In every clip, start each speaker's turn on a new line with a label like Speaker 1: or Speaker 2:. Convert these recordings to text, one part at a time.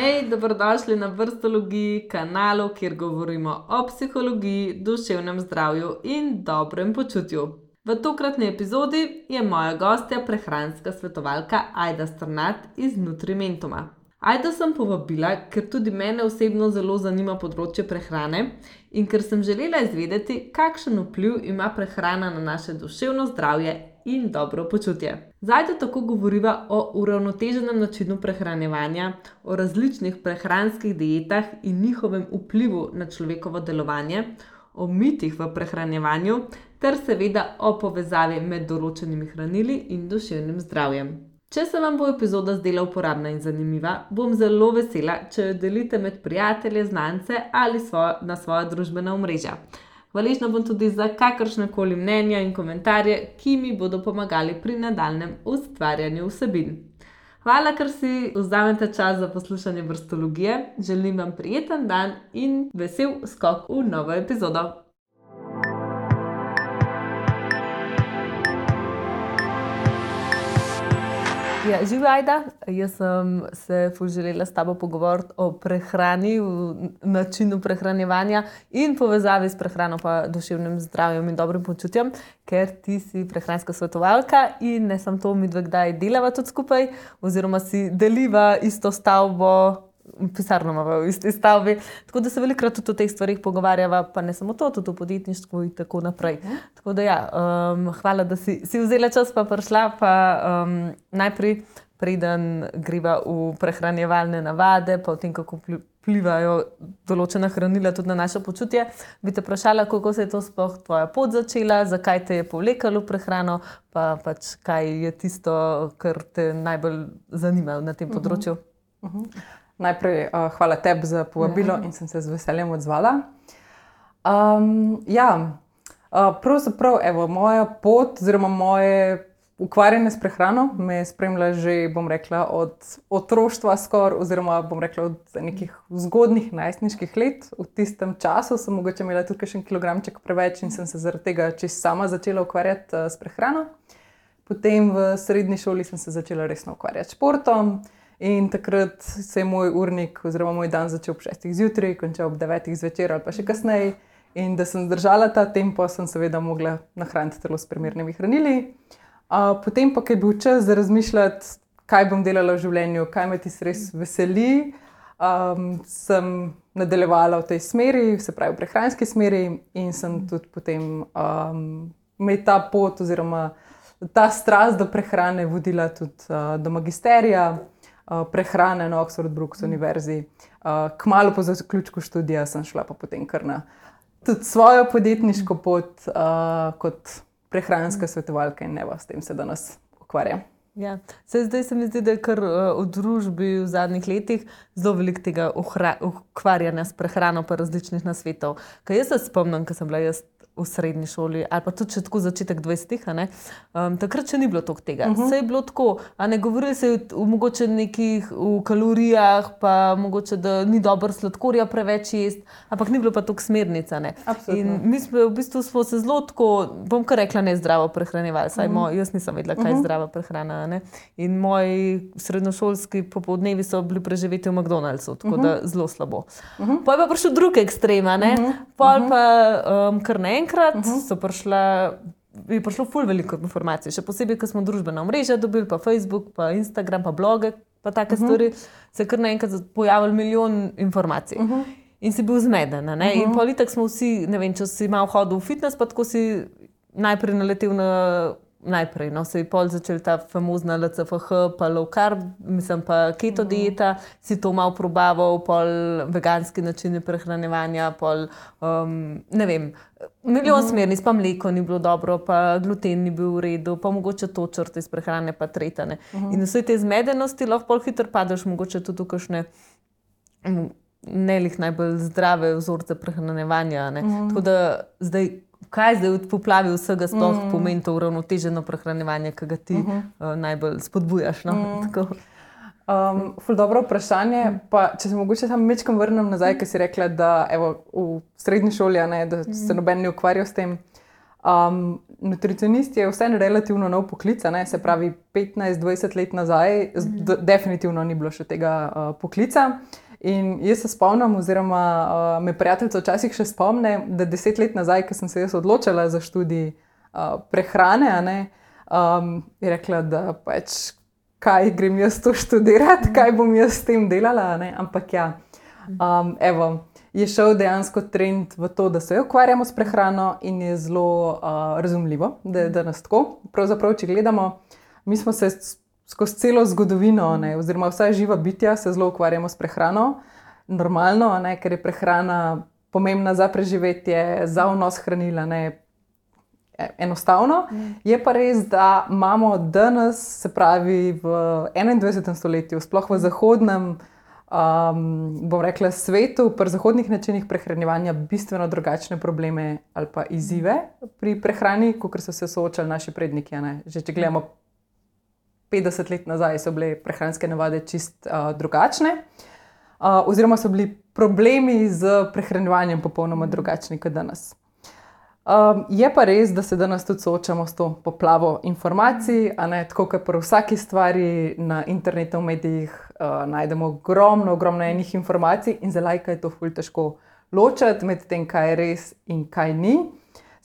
Speaker 1: Hej, dobrodošli na Vrstologiji, kanalu, kjer govorimo o psihologiji, duševnem zdravju in dobrem počutju. V tokratni epizodi je moja gostja prehranska svetovalka Ajda Strnad iz Nutrimentuma. Ajdo sem povabila, ker tudi mene osebno zelo zanima področje prehrane in ker sem želela izvedeti, kakšen vpliv ima prehrana na naše duševno zdravje in dobro počutje. Z Ajdo tako govoriva o uravnoteženem načinu prehranjevanja, o različnih prehranskih dietah in njihovem vplivu na človekovo delovanje, o mitih v prehranjevanju ter seveda o povezavi med določenimi hranili in duševnim zdravjem. Če se vam bo epizoda zdela uporabna in zanimiva, bom zelo vesela, če jo delite med prijatelje, znance ali na svoja družbena omrežja. Hvaležna bom tudi za kakršnekoli mnenja in komentarje, ki mi bodo pomagali pri nadaljnjem ustvarjanju vsebin. Hvala, ker si vzamete čas za poslušanje Vrstologije. Želim vam prijeten dan in vesel skok v novo epizodo. Ja, živi Ajda, jaz sem se želela s tabo pogovoriti o prehrani, o načinu prehranjevanja in povezavi s prehrano pa duševnim zdravjem in dobrim počutjem, ker ti si prehranska svetovalka in ne samo to, midve kdaj delava tudi skupaj oziroma si deliva isto stavbo, pisarno imava v isti stavbi, tako da se velikokrat tudi o teh stvarih pogovarjava, pa ne samo to, tudi o podjetništvu in tako naprej. Tako da ja, hvala, da si vzela čas pa prišla, pa najprej preden greva v prehranjevalne navade, pa o tem, kako vplivajo določena hranila tudi na naše počutje, bi te vprašala, kako se je to sploh tvoja pot začela, zakaj te je povlekalo v prehrano, pa pač kaj je tisto, kar te najbolj zanima na tem področju.
Speaker 2: Najprej hvala tebi za povabilo in sem se z veseljem odzvala. Pravzaprav, moja pot oziroma moje ukvarjanje s prehrano me spremlja že, bom rekla, od otroštva skoraj, oziroma bom rekla od nekih zgodnjih najstniških let. V tistem času sem mogoče imela tudi kakšen kilogramček preveč in sem se zaradi tega čisto sama začela ukvarjati s prehrano. Potem v srednji šoli sem se začela resno ukvarjati s športom. In takrat se je moj urnik oziroma moj dan začel ob 6. zjutraj, končal ob 9. zvečer ali pa še kasneje. In da sem zdržala ta tempo, sem seveda mogla nahraniti telo s primernimi hranili. Potem pa, ko je bil čas za razmišljati, kaj bom delala v življenju, kaj me tisto res veseli, sem nadaljevala v tej smeri, se pravi v prehranski smeri, in sem tudi potem me ta pot oziroma ta strast do prehrane vodila tudi do magisterija prehrane na Oxford Brookes univerzi. Kmalu po zaključku študija sem šla pa potem kar na tudi svojo podjetniško pot kot prehranska svetovalka in s tem se danes ukvarjam.
Speaker 1: Ja. Zdaj se mi zdi, da je kar v družbi v zadnjih letih zelo veliko tega ukvarjanja s prehrano pa različnih nasvetov. Kaj jaz se spomnim, ko sem bila jaz v srednji šoli, ali pa tudi še tako začetek 20-ih, takrat še ni bilo toliko tega. Saj je bilo tako, govorili se mogoče nekih v kalorijah, pa mogoče, da ni dobro sladkorja preveč jesti, ampak ni bilo pa toliko smernic. In mi smo v bistvu se zelo tako, bom kar rekla, nezdravo prehranjevali, saj jaz nisem vedela, kaj je zdrava prehrana. In moji srednjošolski popoldnevi so bili preživeti v McDonald'su, tako da zelo slabo. Pol pa prišel drug ekstrem, pol pa kar naenkrat je prišlo ful veliko informacij, še posebej, ko smo družbena omrežja dobili, pa Facebook, pa Instagram, pa bloge, pa take stvari, se je kar naenkrat pojavil milijon informacij. In si bil zmeden, In pol itak smo vsi, ne vem, če si malo hodil v fitness, pa tako si najprej naletel se je pol začel ta famozna LCFH, pa low carb, pa keto dieta, si to malo probaval, pol veganski načini prehranjevanja, pol, ne vem, milijon smernic, pa mleko ni bilo dobro, pa gluten ni bil v redu, pa mogoče to črte iz prehrane, pa tretane. In vse te zmedenosti lahko pol hitro padeš mogoče tudi v kakšne nelih najbolj zdrave vzorce prehranjevanja. Tako da kaj zdaj v poplavi vsega sploh pomeni to uravnoteženo prehranjevanje, ki ga ti najbolj spodbujaš?
Speaker 2: Ful dobro vprašanje. Pa, če se mogoče samo majčkeno vrnem nazaj, ker si rekla, da v srednji šoli, da se noben ne ukvarja s tem. Nutricionist je vseeno relativno nov poklic, ne? Se pravi 15-20 let nazaj, definitivno ni bilo še tega poklica. In jaz se spomnim, oziroma me prijateljica včasih še spomne, da 10 let nazaj, ko sem se jaz odločila za študij prehrane, je rekla, da pač kaj grem jaz to študirati, kaj bom jaz s tem delala, ne? Ampak ja, je šel dejansko trend v to, da se ukvarjamo s prehrano in je zelo razumljivo, da je danes tako. Pravzaprav, če gledamo, mi smo se skozi celo zgodovino, oziroma vsa živa bitja se zelo ukvarjamo s prehrano, normalno, ker je prehrana pomembna za preživetje, za vnos hranila, enostavno. Je pa res, da imamo danes, se pravi v 21. stoletju, sploh v zahodnem, bom rekla, svetu, pri zahodnih načinih prehranjevanja bistveno drugačne probleme ali pa izzive pri prehrani, kot so se soočali naši predniki. Že če gledamo 50 let nazaj, so bile prehranske navade čist drugačne, oziroma so bili problemi z prehranjevanjem popolnoma drugačni kot danes. Je pa res, da se danes tudi soočamo s to poplavo informacij, tako kot pri vsaki stvari na internetu, v medijih najdemo ogromno enih informacij in za laika je to ful težko ločiti med tem, kaj je res in kaj ni.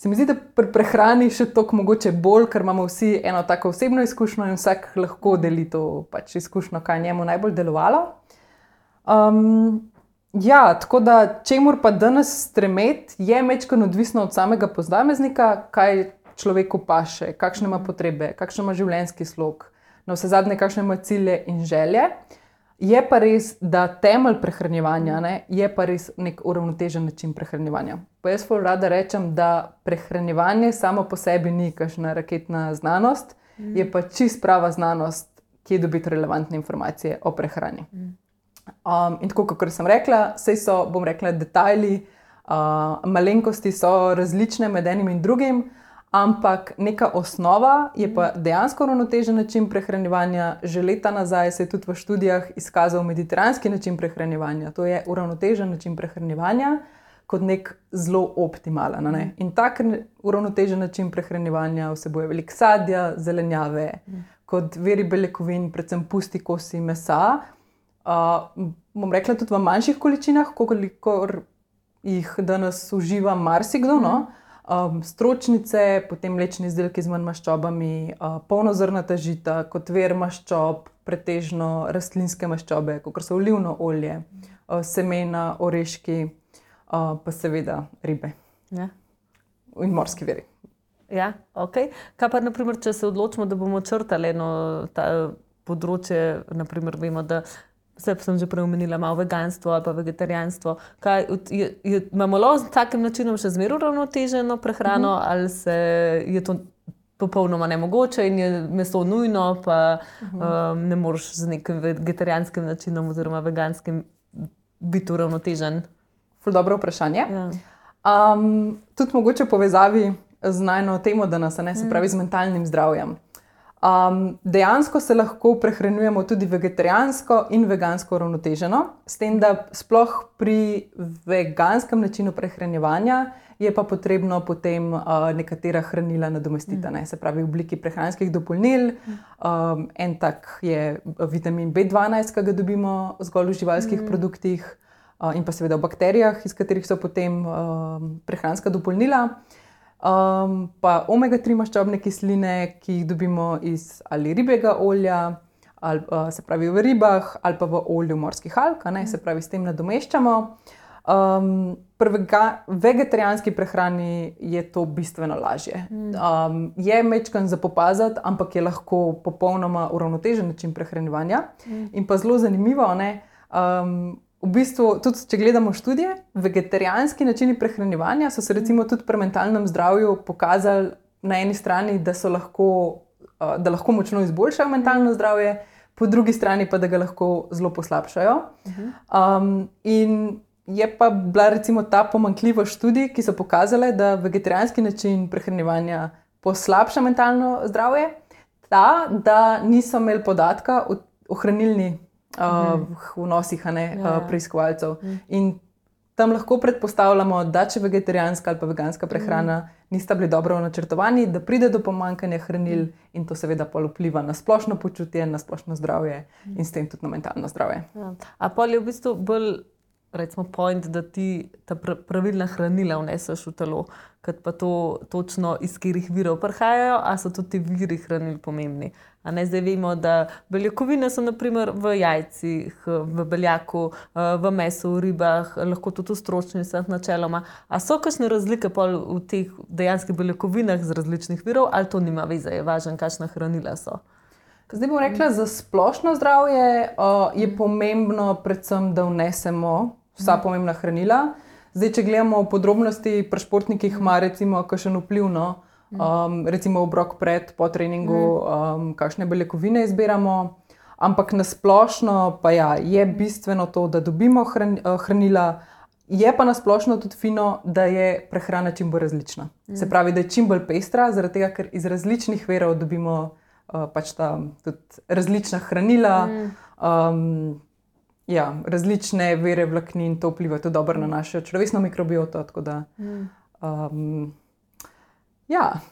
Speaker 2: Se mi zdi, da pri prehrani še toliko mogoče bolj, ker imamo vsi eno tako osebno izkušnjo in vsak lahko deli to pač izkušnjo, kaj njemu najbolj delovalo. Ja, tako da čemur pa danes stremeti, je majčkeno odvisno od samega posameznika, kaj človeku paše, kakšne ima potrebe, kakšen ima življenjski slog, navsezadnje kakšne ima cilje in želje. Je pa res, da temelj prehranjevanja je pa res nek uravnotežen način prehranjevanja. Pa jaz ful rada rečem, da prehranjevanje samo po sebi ni kakšna raketna znanost, je pa čist prava znanost, kje dobiti relevantne informacije o prehrani. In tako, kot sem rekla, saj so, bom rekla, detajli, malenkosti so različne med enim in drugim, ampak neka osnova je pa dejansko uravnotežen način prehranjevanja. Že leta nazaj se je tudi v študijah izkazal mediteranski način prehranjevanja. To je uravnotežen način prehranjevanja kot nek zelo optimalen. In tak uravnotežen način prehranjevanja vsebuje veliko sadja, zelenjave, kot viri beljakovin, predvsem pusti kosi mesa. Bom rekla tudi v manjših količinah, kolikor jih danes uživa marsikdo, stročnice, potem mlečni izdelki z manj maščobami, polnozrnata žita, kot vir maščob, pretežno rastlinske maščobe, kot so olivno olje, semena, oreški, pa seveda ribe.
Speaker 1: Ja.
Speaker 2: In morski viri.
Speaker 1: Ja, ok. Kaj pa, naprimer, če se odločimo, da bomo črtali eno področje, naprimer, vemo, da sem že prej omenila malo veganstvo ali pa vegetarijanstvo. Imamo lahko z takim načinom še zmeraj uravnoteženo prehrano ali je to popolnoma nemogoče in je meso nujno, pa ne moreš z nekim vegetarijanskim načinom oziroma veganskim biti uravnotežen?
Speaker 2: Ful dobro vprašanje. Ja. Tudi mogoče v povezavi z najno temo danes, se pravi z mentalnim zdravjem. Dejansko se lahko prehranjujemo tudi vegetarijansko in vegansko uravnoteženo, s tem, da sploh pri veganskem načinu prehranjevanja je pa potrebno potem nekatera hranila nadomestiti, se pravi v obliki prehranskih dopolnil. En tak je vitamin B12, ki ga dobimo zgolj v živalskih produktih, in pa seveda v bakterijah, iz katerih so potem prehranska dopolnila. Pa omega-3 maščobne kisline, ki jih dobimo iz ali ribjega olja, ali, se pravi v ribah, ali pa v olju morskih alg, se pravi s tem nadomeščamo. Pri vegetarijanski prehrani je to bistveno lažje. Je majčkeno za popaziti, ampak je lahko popolnoma uravnotežen način prehranjevanja. In pa zelo zanimivo, v bistvu, tudi če gledamo študije, vegetarijanski načini prehranjevanja so se recimo tudi pri mentalnem zdravju pokazali na eni strani, da lahko močno izboljšajo mentalno zdravje, po drugi strani pa, da ga lahko zelo poslabšajo. In je pa bila recimo ta pomanjkljivost študij, ki so pokazale, da vegetarijanski način prehranjevanja poslabša mentalno zdravje, da niso imeli podatka o hranilni vnosih preiskovalcev. In tam lahko predpostavljamo, da če vegetarijanska ali pa veganska prehrana nista bili dobro načrtovani, da pride do pomanjkanja hranil in to seveda pol vpliva na splošno počutje, na splošno zdravje in s tem tudi na mentalno zdravje.
Speaker 1: Ja. A pol je v bistvu bolj, recimo, point, da ti ta pravilna hranila vneseš v telo, kot pa to točno iz katerih virov prihajajo, a so tudi ti viri hranil pomembni. A ne, zdaj vemo, da beljakovine so naprimer v jajcih, v beljaku, v mesu, v ribah, lahko tudi v stročnicah načeloma. A so kakšne razlike pol v teh dejanskih beljakovinah z različnih virov, ali to nima veze, je važno, kakšna hranila so?
Speaker 2: Zdaj bom rekla, za splošno zdravje je pomembno predvsem, da vnesemo vsa pomembna hranila. Zdaj, če gledamo v podrobnosti, pri športnikih ima recimo kakšen vpliv, recimo obrok pred, po treningu, kakšne beljakovine izbiramo, ampak na splošno pa ja, je bistveno to, da dobimo hranila, je pa na splošno tudi fino, da je prehrana čim bolj različna. Se pravi, da je čim bolj pestra, zaradi tega, ker iz različnih virov dobimo pač tudi različna hranila, različne vire vlaknin, to vpliva tudi dobro na našo človeško mikrobioto, tako da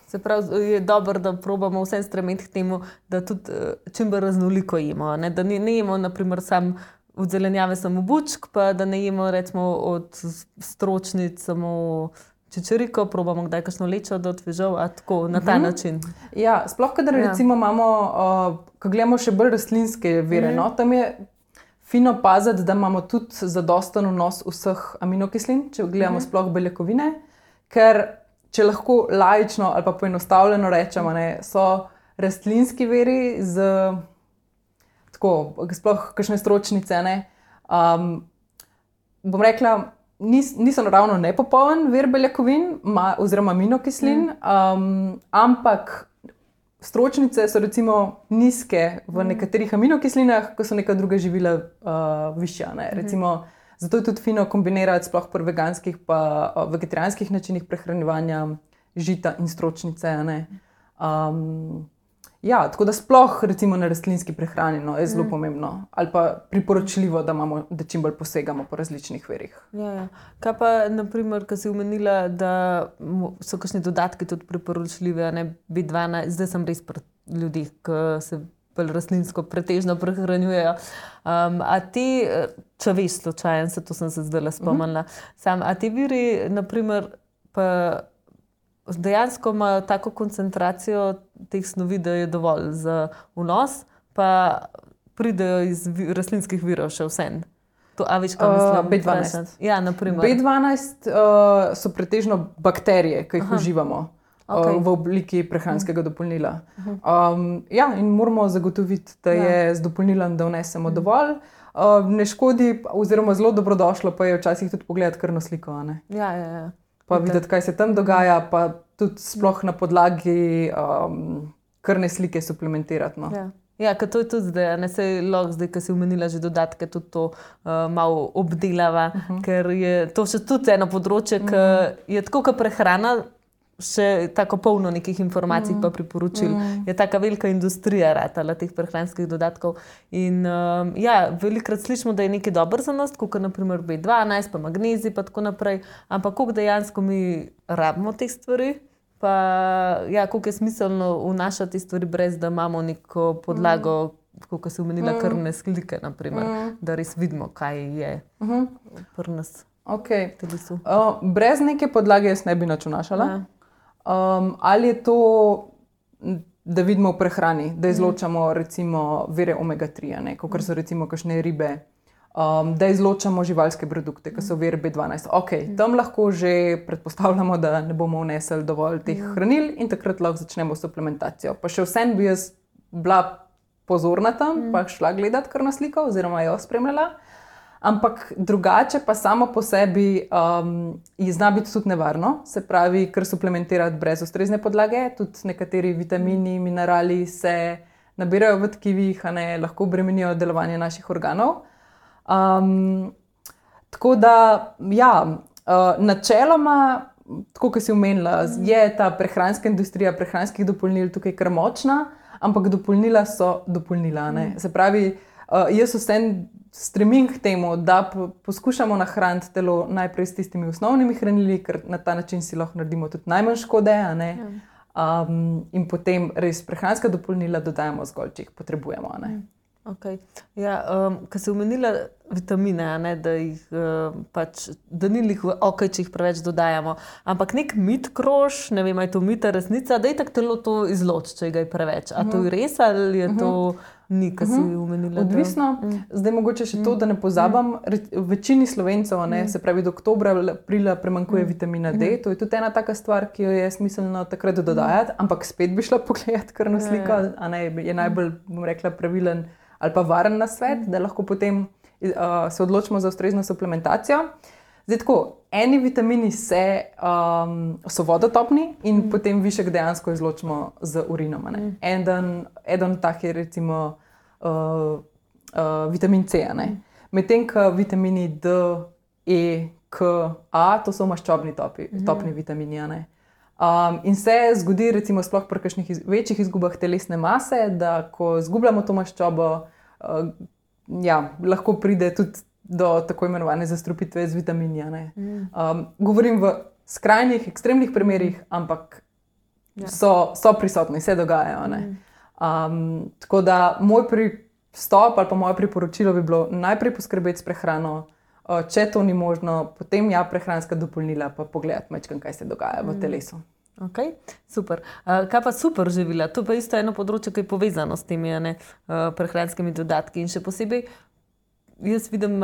Speaker 1: Se pravi, je dobro, da probamo vsem stremeti k temu, da tudi čim bolj raznoliko jemo, ne? Da ne jemo naprimer sam od zelenjave samo bučk, pa da ne jemo recimo od stročnic samo čičeriko, probamo kdaj kakšno lečo do fižol, a tako na ta način.
Speaker 2: Ja, sploh kadar recimo imamo, ko gledamo še bolj rastlinske vire, tam je fino paziti, da imamo tudi zadosten vnos vseh aminokislin, če gledamo sploh beljakovine, ker če lahko laično ali pa poenostavljeno rečemo, so rastlinski viri z tako, sploh kakšne stročnice, bom rekla, niso naravno nepopoln vir beljakovin oziroma aminokislin, ampak stročnice so recimo nizke v nekaterih aminokislinah, ko so neka druga živila višja. Recimo, zato je tudi fino kombinirati sploh pri veganskih pa vegetarijanskih načinih prehranjevanja žita in stročnice. Tako da sploh recimo na rastlinski prehrani je zelo pomembno ali pa priporočljivo, da čim bolj posegamo po različnih virih.
Speaker 1: Kaj pa, naprimer, ko si omenila, da so kakšni dodatki tudi priporočljivi, B12, zdaj sem res pri ljudeh, ki se bolj rastlinsko pretežno prehranjujejo. A ti, če veš slučajen, to sem se zdaj spomnila, a ti viri, naprimer, pa dejansko imajo tako koncentracijo teh snovi, da je dovolj za vnos, pa pridejo iz rastlinskih virov še vsem. A veš, kaj mislim?
Speaker 2: B12.
Speaker 1: Ja, naprimer.
Speaker 2: B12 so pretežno bakterije, ki jih uživamo v obliki prehranskega dopolnila. In moramo zagotoviti, da je z dopolnilom, da vnesemo dovolj. Ne škodi, oziroma zelo dobrodošlo pa je včasih tudi pogledati krvno sliko. Pa videti, kaj se tam dogaja, pa tudi sploh na podlagi krvne slike suplementirati.
Speaker 1: Ker to je tudi zdaj, se lahko zdaj, ko si omenila že dodatke, tudi to malo obdelava, ker je to še tudi eno področje, ki je tako kot prehrana, še tako polno nekih informacij pa priporočil. Je taka velika industrija ratala teh prehranskih dodatkov. In velikokrat slišimo, da je nekaj dobro za nas, kot naprimer B12, pa magnezij, pa tako naprej. Ampak koliko dejansko mi rabimo teh stvari, pa koliko je smiselno vnašati te stvari, brez da imamo neko podlago, kot si omenila, krvne slike, naprimer, da res vidimo, kaj je pri nas v telesu.
Speaker 2: Brez neke podlage jaz ne bi nič vnašala. Ali je to, da vidimo v prehrani, da izločamo recimo vire omega-3, kot so recimo kakšne ribe, da izločamo živalske produkte, ki so vir B12. Tam lahko že predpostavljamo, da ne bomo vnesli dovolj teh hranil in takrat lahko začnemo suplementacijo. Pa še vsem bi jaz bila pozorna tam, pa šla gledati krvno sliko oziroma jo spremljala. Ampak drugače pa samo po sebi zna biti tudi nevarno, se pravi, ker suplementirati brez ustrezne podlage, tudi nekateri vitamini, minerali se nabirajo v tkivih, lahko bremenijo delovanje naših organov. Tako da, načeloma, tako kot si omenila, je ta prehranska industrija prehranskih dopolnil tukaj kar močna, ampak dopolnila so dopolnila. Se pravi, jaz vsem stremim k temu, da poskušamo nahraniti telo najprej s tistimi osnovnimi hranili, ker na ta način si lahko naredimo tudi najmanj škode, a ne? In potem res prehranska dopolnila dodajamo zgolj, če jih potrebujemo, a ne?
Speaker 1: Okay. Ja, ko si omenila vitamine, a ne, da jih da ni lih okej, če jih preveč dodajamo, ampak nek mit krož, ne vem, je to mita, resnica, da itak telo to izloči, če ga je preveč. A to je res ali je to ni, ko si omenila?
Speaker 2: Odvisno. Zdaj mogoče še to, da ne pozabam, večini Slovencev, a ne, se pravi do oktobra, aprila primanjkuje vitamina D, to je tudi ena taka stvar, ki jo je smiselno takrat dodajati, ampak spet bi šla pogledati krvno sliko, a ne, je najbolj, bom rekla, pravilen ali pa varen nasvet, da lahko potem se odločimo za ustrezno suplementacijo. Zdaj tako, eni vitamini so vodotopni in potem višek dejansko izločimo z urinom. Eden tak je recimo vitamin C. Medtem ko vitamini D, E, K, A, to so maščobni topni vitamini. In se zgodi, recimo, sploh pri kakšnih večjih izgubah telesne mase, da ko izgubljamo to maščobo, lahko pride tudi do tako imenovane zastrupitve z vitamini. Govorim v skrajnih, ekstremnih primerih, ampak so prisotni, se dogajajo. Tako da moj pristop ali pa moje priporočilo bi bilo najprej poskrbeti s prehrano, če to ni možno, potem prehranska dopolnila, pa pogledati majčkeno, kaj se dogaja v telesu.
Speaker 1: Ok, super. Kaj pa super živila? To pa isto eno področje, ki je povezano s temi prehranskimi dodatki. In še posebej, jaz vidim,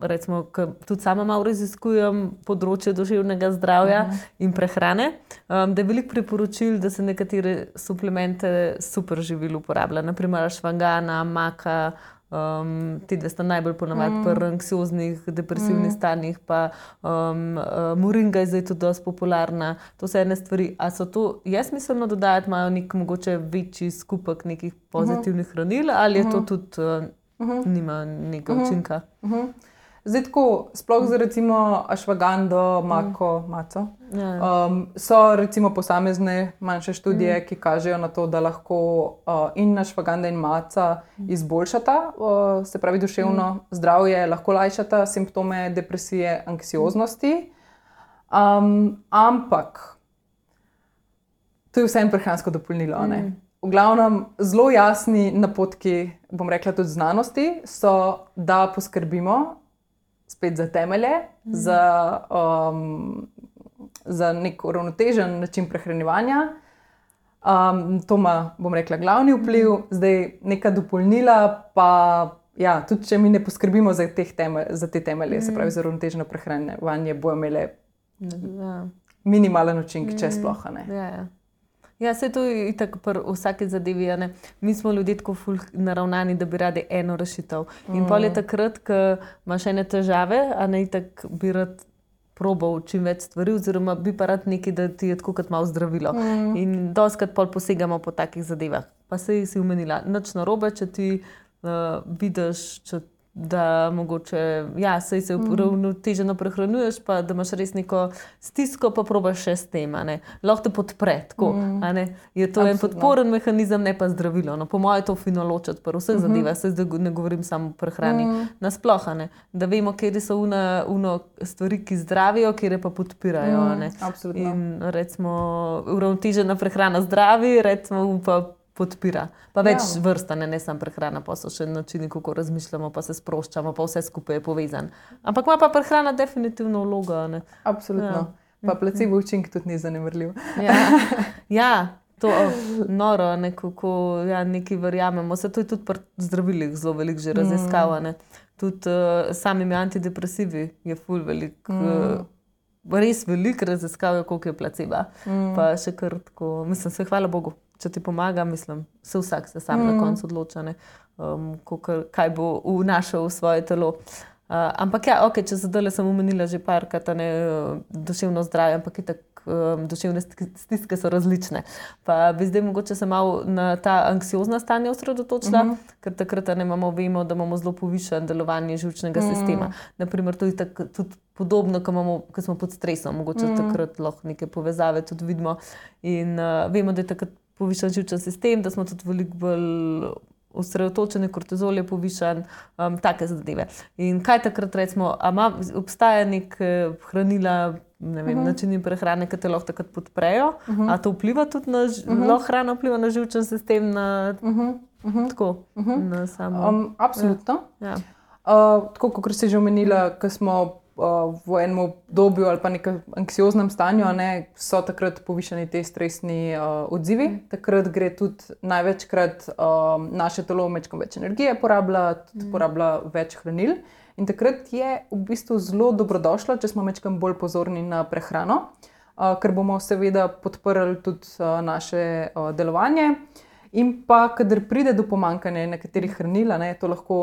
Speaker 1: recimo, tudi sama malo raziskujem področje duševnega zdravja in prehrane, da je veliko priporočil, da se nekatere suplemente super živil uporablja. Naprimer, ašvagana, maka, ti dve sta najbolj ponavadi pri anksioznih, depresivnih stanjih, pa moringa je zdaj tudi dosti popularna. To so ene stvari. A so to, smiselno dodajati, imajo nek mogoče večji skupek nekih pozitivnih hranil, ali je to tudi nima nekega učinka?
Speaker 2: Zdaj tako, sploh za recimo ašvagando, maco, so recimo posamezne manjše študije, ki kažejo na to, da lahko in ašvaganda in maca izboljšata, se pravi duševno zdravje, lahko lajšata simptome depresije, anksioznosti, ampak to je vseeno prehransko dopolnilo, ne? V glavnem, zelo jasni napotki, bom rekla tudi znanosti, so, da poskrbimo spet za temelje, za nek uravnotežen način prehranjevanja. To ima, bom rekla, glavni vpliv. Zdaj, neka dopolnila, pa tudi če mi ne poskrbimo za te temelje, se pravi za uravnoteženo prehranjevanje, bojo imele minimalen učinek, če sploh, ne.
Speaker 1: Ja, saj to je itak pri vsaki zadevi, ne. Mi smo ljudje tako ful naravnani, da bi radi eno rešitev. In pol je takrat, ko imaš ene težave, a ne, itak bi rad probal čim več stvari, oziroma bi pa rad nekaj, da ti je tako kot malo zdravilo. In dostikrat pol posegamo po takih zadevah. Pa saj si omenila, nič narobe, če ti vidiš, da mogoče, saj se uravnoteženo prehranjuješ, pa da imaš res neko stisko, pa probaš še s tem, a ne. Lahko te podpre, tako, a ne. Je to en podporen mehanizem, ne pa zdravilo. No, po moje je to fino ločiti pri vseh zadevah, saj zdaj ne govorim samo o prehrani. Nasploh, a ne. Da vemo, kjer so stvari, ki zdravijo, kjer pa podpirajo, a ne.
Speaker 2: Absolutno.
Speaker 1: In recimo, uravnotežena prehrana zdravi, recimo pa podpira. Pa več vrsta, ne samo prehrana, pa so še načini, kako razmišljamo, pa se sproščamo, pa vse skupaj je povezan. Ampak ima pa prehrana definitivno vlogo, ne.
Speaker 2: Absolutno. Pa placebo učinek tudi ni zanemarljiv.
Speaker 1: To noro, nekako, nekaj verjamemo. Se to je tudi pri zdravilih zelo veliko že raziskav, ne. Tudi samimi antidepresivi je ful veliko, res veliko raziskav, koliko je placeba. Pa še kar tako, mislim, se hvala Bogu. Če ti pomaga, mislim, vsak se sam na koncu odloča, ne, kaj bo vnašal v svoje telo. Ampak če zdajle sem omenila že parkrat, duševno zdravje, ampak itak duševne stiske so različne. Pa bi zdaj mogoče se malo na ta anksiozna stanja osredotočila, ker takrat vemo, da imamo zelo povišano delovanje živčnega sistema. Naprimer, to je tudi podobno, ko smo pod stresom, mogoče takrat lahko neke povezave tudi vidimo. In vemo, da je takrat povišan živčen sistem, da smo tudi veliko bolj osredotočen, kortizol je povišan, take zadeve. In kaj takrat recimo, obstaja nek hranila, ne vem, načini prehrane, ki te lahko takrat podprejo, a to vpliva tudi na, lahko hrana vpliva na živčen sistem, na tako, na samo...
Speaker 2: Absolutno.
Speaker 1: Ja.
Speaker 2: Tako, kot si že omenila, ko smo v enem obdobju ali pa nekem anksioznem stanju, so takrat povišani te stresni odzivi. Takrat gre tudi največkrat naše telo mečkam več energije porablja več hranil. In takrat je v bistvu zelo dobrodošlo, če smo mečkam bolj pozorni na prehrano, ker bomo seveda podprli tudi naše delovanje. In pa, kadar pride do pomanjkanja nekaterih hranil, to lahko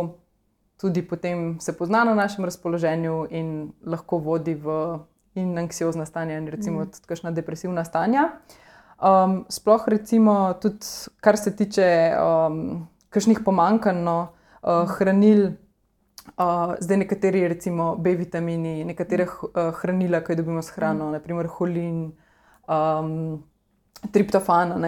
Speaker 2: tudi potem se pozna na našem razpoloženju in lahko vodi v anksiozna stanja in recimo tudi kakšna depresivna stanja. Sploh recimo tudi, kar se tiče kakšnih pomanjkanj hranil, zdaj nekateri recimo B-vitamini, nekatere hranila, ki jih dobimo s hrano, naprimer holin, triptofan,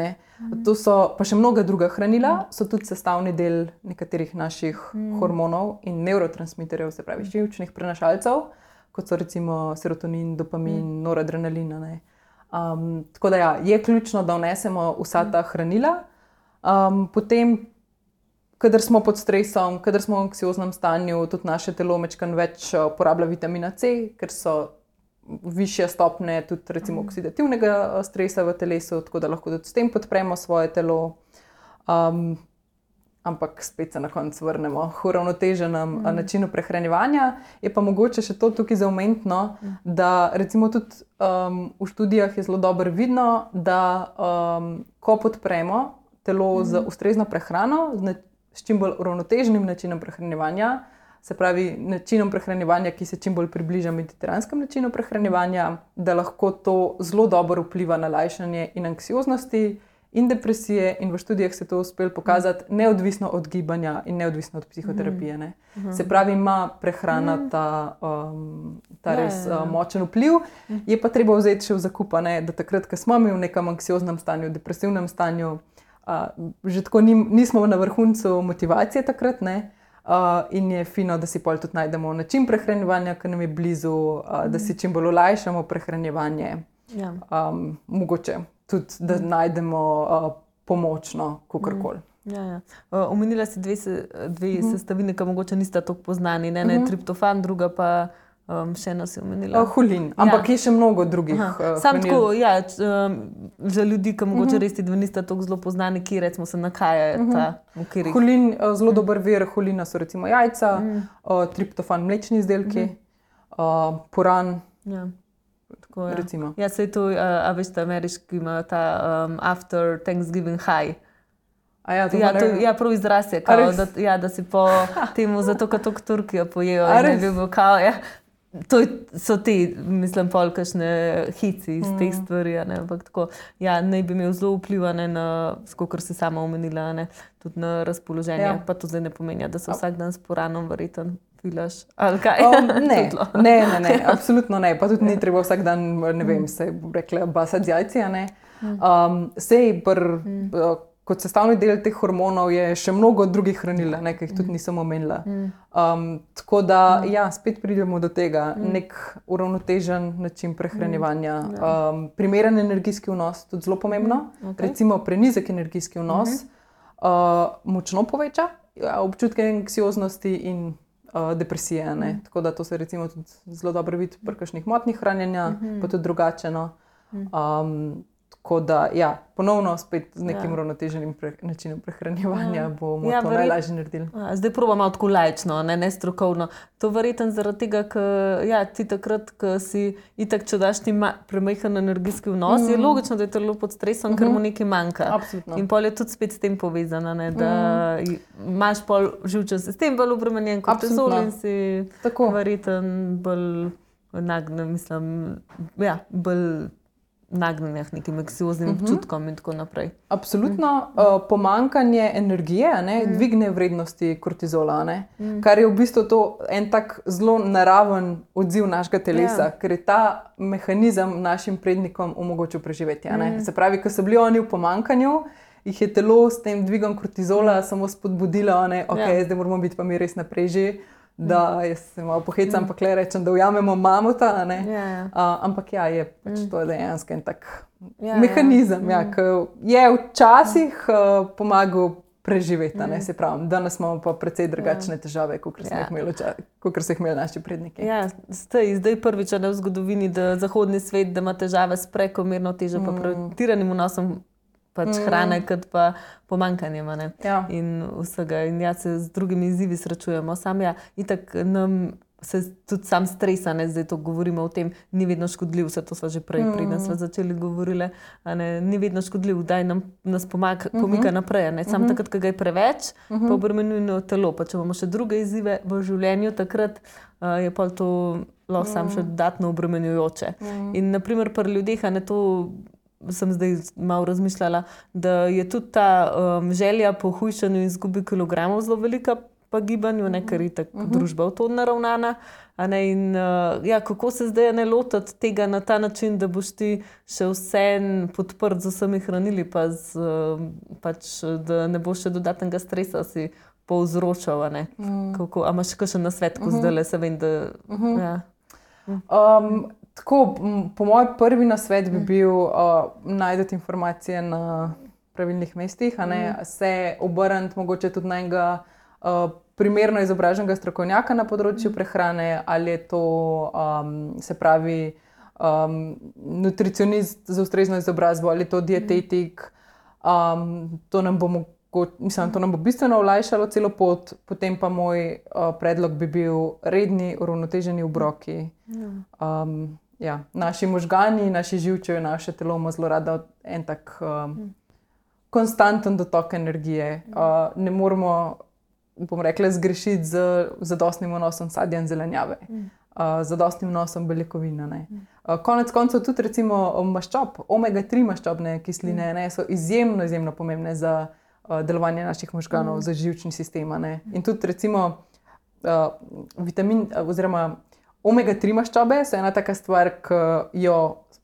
Speaker 2: to so pa še mnoga druga hranila, so tudi sestavni del nekaterih naših hormonov in nevrotransmiterjev, se pravi živčnih prenašalcev, kot so recimo serotonin, dopamin, noradrenalin. Tako da ja, je ključno, da vnesemo vsa ta hranila. Potem, kadar smo pod stresom, kadar smo v anksioznem stanju, tudi naše telo mečkan več porablja vitamina C, ker so višje stopnje tudi recimo oksidativnega stresa v telesu, tako da lahko tudi s tem podpremo svoje telo. Ampak spet se na koncu vrnemo k uravnoteženem načinu prehranjevanja. Je pa mogoče še to tukaj za omeniti, da recimo tudi v študijah je zelo dobro vidno, da ko podpremo telo z ustrezno prehrano, s čim bolj uravnoteženim načinom prehranjevanja, se pravi načinom prehranjevanja, ki se čim bolj približa mediteranskemu načinu prehranjevanja, da lahko to zelo dobro vpliva na lajšanje in anksioznosti in depresije, in v študijah se to uspelo pokazati neodvisno od gibanja in neodvisno od psihoterapije. Se pravi, ima prehrana ta res močen vpliv. Je pa treba vzeti še v zakup, da takrat, ko smo mi v nekem anksioznem stanju, depresivnem stanju, že tako nismo na vrhuncu motivacije takrat, in je fino, da si pol tudi najdemo način prehranjevanja, ki nam je blizu, da si čim bolj olajšamo prehranjevanje. Mogoče tudi, da najdemo pomočno, kakorkoli.
Speaker 1: Omenila si dve sestavine, ki mogoče nista tako poznani. Ne triptofan, druga pa še eno si omenila.
Speaker 2: Holin, ampak je še mnogo drugih hranil.
Speaker 1: Sam tako, za ljudi, ki mogoče res ti dve nista tako zelo poznani, ki recimo se nakajajo ta okvirih.
Speaker 2: Holin, zelo dober vir holina so recimo jajca, triptofan mlečni izdelki, puran.
Speaker 1: Tako, recimo. Se je to, a veš, ta ameriški ima ta after Thanksgiving high. Prav izraz je, da si po temu, zato kot v Turkijo pojejo in je bil kao, to so ti, mislim, pol kakšne hici iz teh stvari, ampak tako, naj bi imel zelo vplivane na, skokor si sama omenila, tudi na razpoloženje, pa to zdaj ne pomeni, da se vsak dan s puranom verjetno filaš, ali kaj?
Speaker 2: Ne, absolutno ne, pa tudi ni treba vsak dan, ne vem, se bo rekla, basati z jajci, Sej, kot sestavni del teh hormonov je še mnogo drugih hranil, ki jih tudi nisem omenila. Tako da, spet pridemo do tega, nek uravnotežen način prehranjevanja. Primeren energijski vnos, tudi zelo pomembno. Recimo prenizek energijski vnos močno poveča občutke anksioznosti in depresije. Tako da to se recimo tudi zelo dobro vidi pri kakšnih motnjah hranjenja, pa tudi drugačeno. Tako da, ponovno spet z nekim uravnoteženim načinom prehranjevanja bomo to najlažje naredili.
Speaker 1: Zdaj probamo tako laično, ne strokovno. To verjetno zaradi tega, ker ti takrat, ko si itak, če daš ti premajhen energijski vnos, je logično, da je telo pod stresom, ker mu nekaj manjka.
Speaker 2: Absolutno.
Speaker 1: In pol je tudi spet s tem povezana, da imaš pol živčen sistem bolj obremenjen kot kortizol in si verjetno bolj nagnjen, bolj nagnjenja k nekim anksioznim občutkom in tako naprej.
Speaker 2: Absolutno. Pomanjkanje energije dvigne vrednosti kortizola, kar je v bistvu to en tak zelo naraven odziv našega telesa, ker je ta mehanizem našim prednikom omogočil preživetje. Se pravi, ko so bili oni v pomanjkanju, jih je telo s tem dvigom kortizola samo spodbudilo, ne, okay, zdaj moramo biti pa mi res naprej že. Da jaz se malo pohecam, pa kle rečem, da ujamemo mamuta, ampak je pač to dejansko en tak mehanizem, ki je včasih pomagal preživeti, se pravi, danes imamo pa precej drugačne težave, kot so jih imeli naši predniki.
Speaker 1: Ja, zdaj prvič v zgodovini, da zahodni svet, da ima težave s prekomerno težo pa pretiranim vnosom pač hrane, kot pa pomanjkanjem, in vsega. In se z drugimi izzivi srečujemo. Itak nam se tudi sam stresa, zdaj to govorimo o tem, ni vedno škodljiv, vse to smo že prej, preden smo začeli govorili, ni vedno škodljiv, daj nas pomika naprej, Sam takrat, ko ga je preveč, pa obremenjuje telo. Pa če imamo še druge izzive v življenju, takrat je pa to lahko sam še dodatno obremenjujoče. In naprimer pri ljudeh, to sem zdaj malo razmišljala, da je tudi ta želja po hujšanju in izgubi kilogramov zelo velika pa gibanju, ker je tako družba v to naravnana. In kako se zdaj ne lotiti tega na ta način, da boš ti še vse podprt z vsemi hranili, pa pač, da ne boš še dodatnega stresa si povzročal. A imaš kakšen nasvet, ko zdajle se vem, da...
Speaker 2: Tako, po moj prvi nasvet bi bil najti informacije na pravilnih mestih, se obrniti mogoče tudi na enega primerno izobraženega strokovnjaka na področju prehrane, ali je to, se pravi, nutricionist z ustrezno izobrazbo, ali je to dietetik. To nam bo bistveno olajšalo celo pot. Potem pa moj predlog bi bil redni, uravnoteženi obroki. Naši možgani, naši živčevi, naše telo ima zelo rada en tak konstanten dotok energije. Ne moramo, bom rekla, zgrešiti z zadostnim vnosom sadja in zelenjave, zadostnim vnosom beljakovin. Konec koncev tudi recimo maščob, omega-3 maščobne kisline so izjemno pomembne za delovanje naših možganov, za živčni sistem. In tudi recimo vitamin oziroma omega-3 maščobe so ena taka stvar, ki jo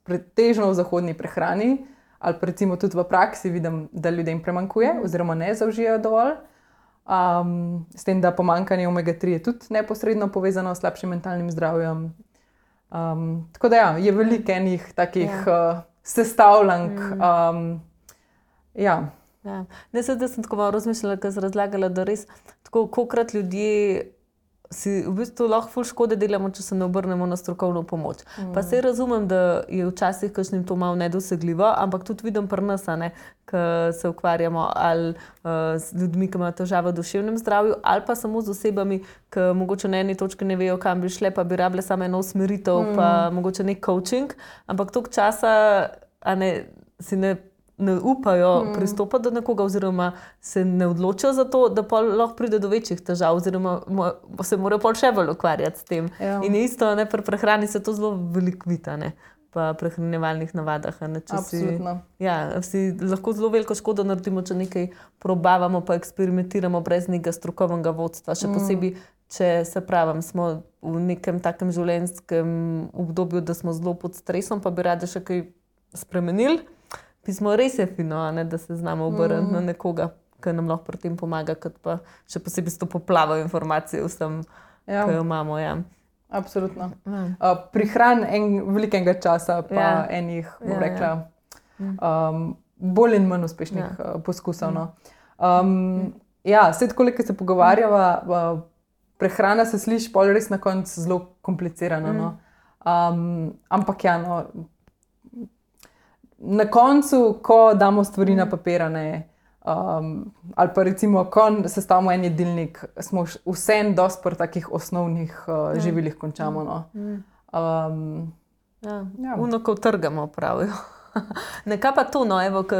Speaker 2: pretežno v zahodni prehrani ali pa recimo tudi v praksi vidim, da ljudem premankuje oziroma ne zaužijajo dovolj. S tem, da pomanjkanje omega-3 je tudi neposredno povezano s slabšim mentalnim zdravjem. Tako da je veliko enih takih sestavljank.
Speaker 1: Ne, sedaj sem tako malo razmišljala, ko sem razlagala, da res tako, kolikrat ljudje si v bistvu lahko ful škode delamo, če se ne obrnemo na strokovno pomoč. Pa saj razumem, da je včasih kakšnim to malo nedosegljivo, ampak tudi vidim pri nas, ko se ukvarjamo ali z ljudmi, ki imajo težave v duševnem zdravju, ali pa samo z osebami, ki mogoče na eni točki ne vejo, kam bi šle, pa bi rabile samo eno usmeritev, pa mogoče nek coaching, ampak toliko časa si ne upajo pristopati do nekoga oziroma se ne odločijo za to, da pa lahko pride do večjih težav oziroma se morajo pol še bolj ukvarjati s tem. In isto, pri prehrani se to zelo veliko vidi, pa prehranjevalnih navadah.
Speaker 2: Absolutno.
Speaker 1: Si lahko zelo veliko škodo naredimo, če nekaj probavamo pa eksperimentiramo brez nekega strokovnega vodstva. Še posebej, če se pravim, smo v nekem takem življenjskem obdobju, da smo zelo pod stresom, pa bi radi še kaj spremenili. Pismo res je fino, da se znamo obrniti na nekoga, ki nam lahko pri tem pomaga, kot pa še posebej s to poplavo informacij vsem, ki jo imamo.
Speaker 2: Absolutno. Prihran velikega časa, pa enih, bom rekla, bolj in manj uspešnih poskusov. Vse tako, ko se pogovarjava, prehrana se sliši pol res na koncu zelo komplicirano. Ampak na koncu, ko damo stvari na papir, ali pa recimo, ko sestavimo en jedilnik, smo vseeno dosti pri takih osnovnih živilih končamo.
Speaker 1: Uno, ko trgamo, pravijo. Nekaj pa to, ko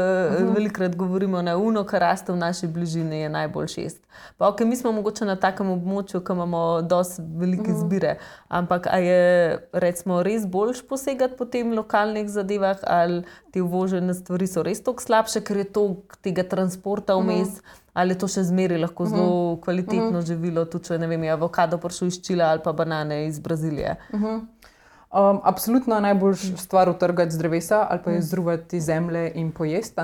Speaker 1: velikokrat govorimo, uno, kar raste v naši bližini, je najboljši jest. Pa mi smo mogoče na takem območju, ko imamo dosti velike izbire, ampak a je recimo res boljš posegati po tem lokalnih zadevah, ali te uvožene stvari so res toliko slabše, ker je toliko tega transporta vmes, ali je to še zmeraj lahko zelo kvalitetno živilo, tudi če je avokado prišel iz Čila ali pa banane iz Brazilije. Absolutno najboljša stvar utrgati z drevesa ali pa jo izruvati iz zemlje in pojesti.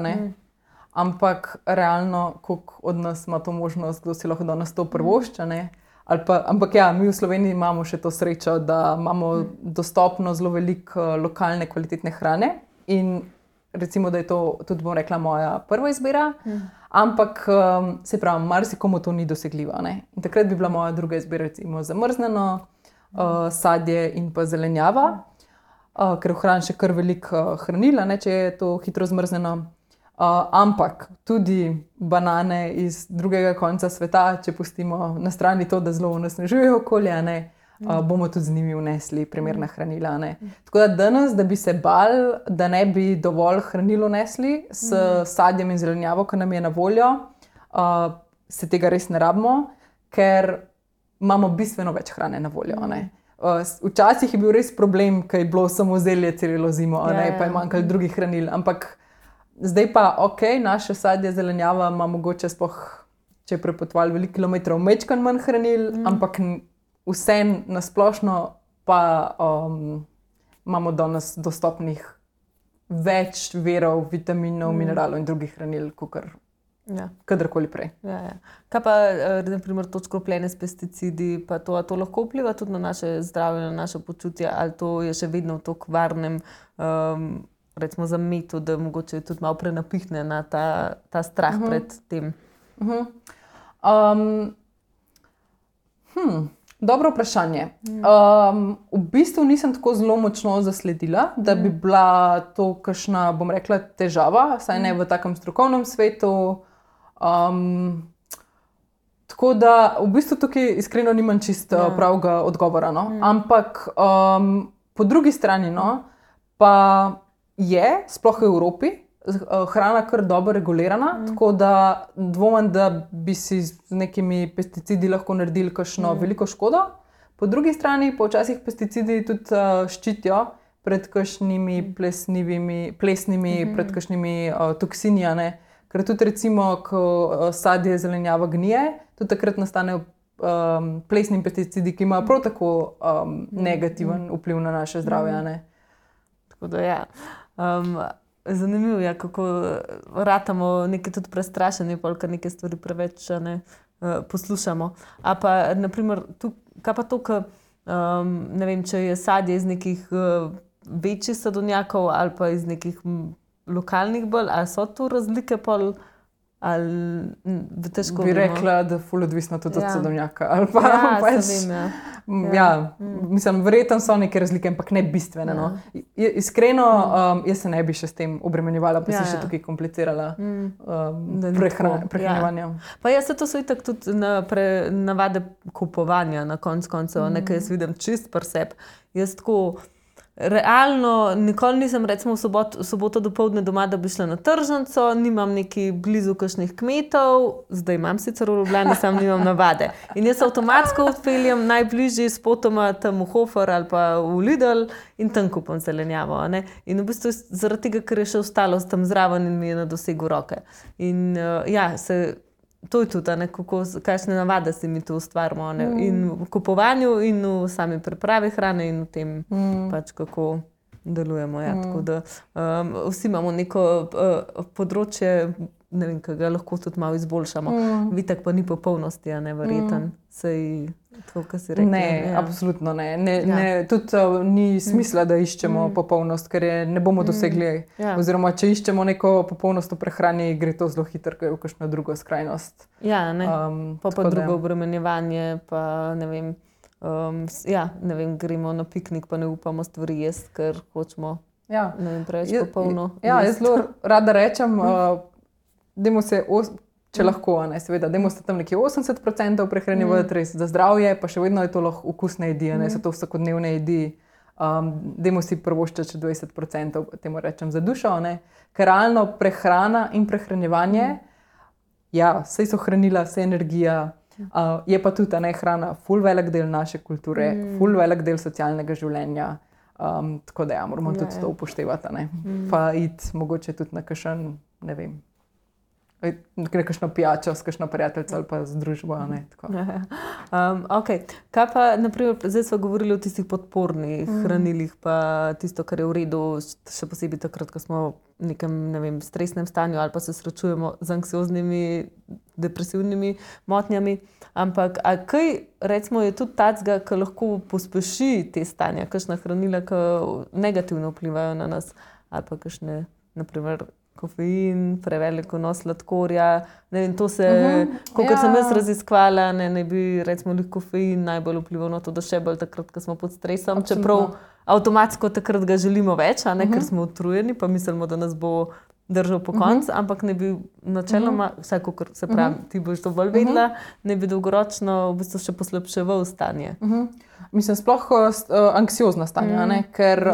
Speaker 2: ampak realno, koliko od nas ima to možnost, kdo si lahko danes to privošča, ne? Ampak ja, mi v Sloveniji imamo še to srečo, da imamo dostopno zelo veliko lokalne kvalitetne hrane in recimo, da je to tudi, bom rekla, moja prva izbira, ampak se pravi, marsikomu to ni dosegljivo, ne? In takrat bi bila moja druga izbira recimo zamrznjeno sadje in pa zelenjava, ker ohranim še kar veliko hranila, ne, če je to hitro zmrznjeno. Ampak tudi banane iz drugega konca sveta, če pustimo na strani to, da zelo onesnažujejo okolje, ne, bomo tudi z njimi vnesli primerna hranila. Ne. Tako da danes, da bi se bali, da ne bi dovolj hranil vnesli s sadjem in zelenjavo, ki nam je na voljo, se tega res ne rabimo, ker imamo bistveno več hrane na voljo. Ne. Včasih je bil res problem, ker je bilo samo zelje celo zimo, ne, pa je manjkalo drugih hranil, ampak zdaj pa, naše sadje, zelenjava ima mogoče sploh, če je prepotovali veliko kilometrov, majčkeno manj hranil, ampak vse nasplošno pa imamo danes dostopnih več virov, vitaminov, mineralov in drugih hranil, kakor kadarkoli prej.
Speaker 1: Kaj pa, na primer, to škropljene s pesticidi, pa to lahko vpliva tudi na naše zdravje, na naše počutje, ali to je še vedno v tako varnem recimo za metu, da mogoče tudi malo prenapihne na ta strah pred tem?
Speaker 2: Dobro vprašanje. V bistvu nisem tako zelo močno zasledila, da bi bila to kakšna, bom rekla, težava, saj ne v takem strokovnem svetu. Tako da v bistvu tukaj iskreno nimam čisto pravega odgovora. No? Ampak po drugi strani pa je, sploh v Evropi, hrana kar dobro regulirana, tako da dvomim, da bi si z nekimi pesticidi lahko naredili kakšno veliko škodo. Po drugi strani pa včasih pesticidi tudi ščitijo pred kakšnimi plesnimi, pred kakšnimi toksini, ne. Ker tudi recimo, ko sadje zelenjava gnije, tudi takrat nastanejo plesni pesticidi, ki imajo prav tako negativen vpliv na naše zdravje, ne.
Speaker 1: Tako da ja. Zanimivo je, kako ratamo nekaj tudi prestrašeni, ker neke stvari preveč poslušamo. A pa, na primer, kaj pa to, ne vem, če je sadje iz nekih večjih sadovnjakov ali pa iz nekih lokalnih bolj, ali so to razlike pol, ali težko
Speaker 2: bi rekla, da ful odvisno tudi od sadovnjaka. Ali pa mislim, verjetno so neke razlike, ampak ne bistvene. No. Iskreno, jaz se ne bi še s tem obremenjevala, pa si še tukaj komplicirala prehranjevanje.
Speaker 1: Pa jaz se to so itak tudi navade kupovanja na koncu, nekaj jaz vidim čist pri sebi. Jaz tako realno nikoli nisem recimo v soboto dopoldne doma, da bi šla na tržnico, nimam neki blizu kakšnih kmetov, zdaj imam sicer v Ljubljani, sam nimam navade. In jaz avtomatsko odpeljem najbližji spotoma tam v Hofer ali pa v Lidl in tam kupam zelenjavo. Ne? In v bistvu zaradi tega, ker je še ostalo tam zraven in mi je na dosegu roke. In to je tudi, kakšne navade si mi tu ustvarimo. In v kupovanju, in v sami pripravi hrane, in v tem pač kako delujemo. Ja. Tako da vsi imamo neko področje, ne vem, ki ga lahko tudi malo izboljšamo. Vitek pa ni popolnosti, verjeten. Sej, tako, kot si rekla.
Speaker 2: Ne, absolutno ne. Tudi ni smisla, da iščemo popolnost, ker je ne bomo dosegli. Oziroma, če iščemo neko popolnost v prehrani, gre to zelo hitro v kakšno drugo skrajnost.
Speaker 1: Ja, ne. Pa drugo obremenjevanje, pa ne vem, ne vem, gremo na piknik, pa ne upamo stvari jesti, ker hočemo preveč popolno.
Speaker 2: Jaz zelo rada rečem, dajmo se, če lahko, seveda, dajmo se tam nekje 80% prehranjevati res za zdravje, pa še vedno je to lahko okusne jedi, so to vsakodnevne jedi. Dajmo si privoščiti še 20%, temu rečem, za dušo, ker realno prehrana in prehranjevanje, saj so hranila, saj energija, je pa tudi hrana ful velik del naše kulture, ful velik del socialnega življenja, tako da moramo tudi to upoštevati, pa iti mogoče tudi na kakšen, ne vem, kakšno pijačo s kakšno prijateljico ali pa z družbo.
Speaker 1: Kaj pa, naprimer, zdaj smo govorili o tistih podpornih hranilih, pa tisto, kar je v redu, še posebej takrat, ko smo nekem, ne vem, stresnem stanju ali pa se srečujemo z anksioznimi, depresivnimi motnjami. Ampak kaj, recimo, je tudi tacga, ki lahko pospeši te stanja, kakšna hranila, ki negativno vplivajo na nas, ali pa kakšne, naprimer, kofein, prevelik vnos sladkorja. Ne vem, to se, kolikor sem jaz raziskvala, ne bi, recimo, kofein najbolj vplival na to, da še bolj takrat, ko smo pod stresom, čeprav avtomatsko takrat ga želimo več, ker smo utrujeni, pa mislimo, da nas bo držal po koncu, ampak ne bi načeloma, vsaj kakor se pravi, ti boš to bolj vedela, ne bi dolgoročno v bistvu še poslabševal stanje.
Speaker 2: Mislim, sploh anksiozna stanja, ker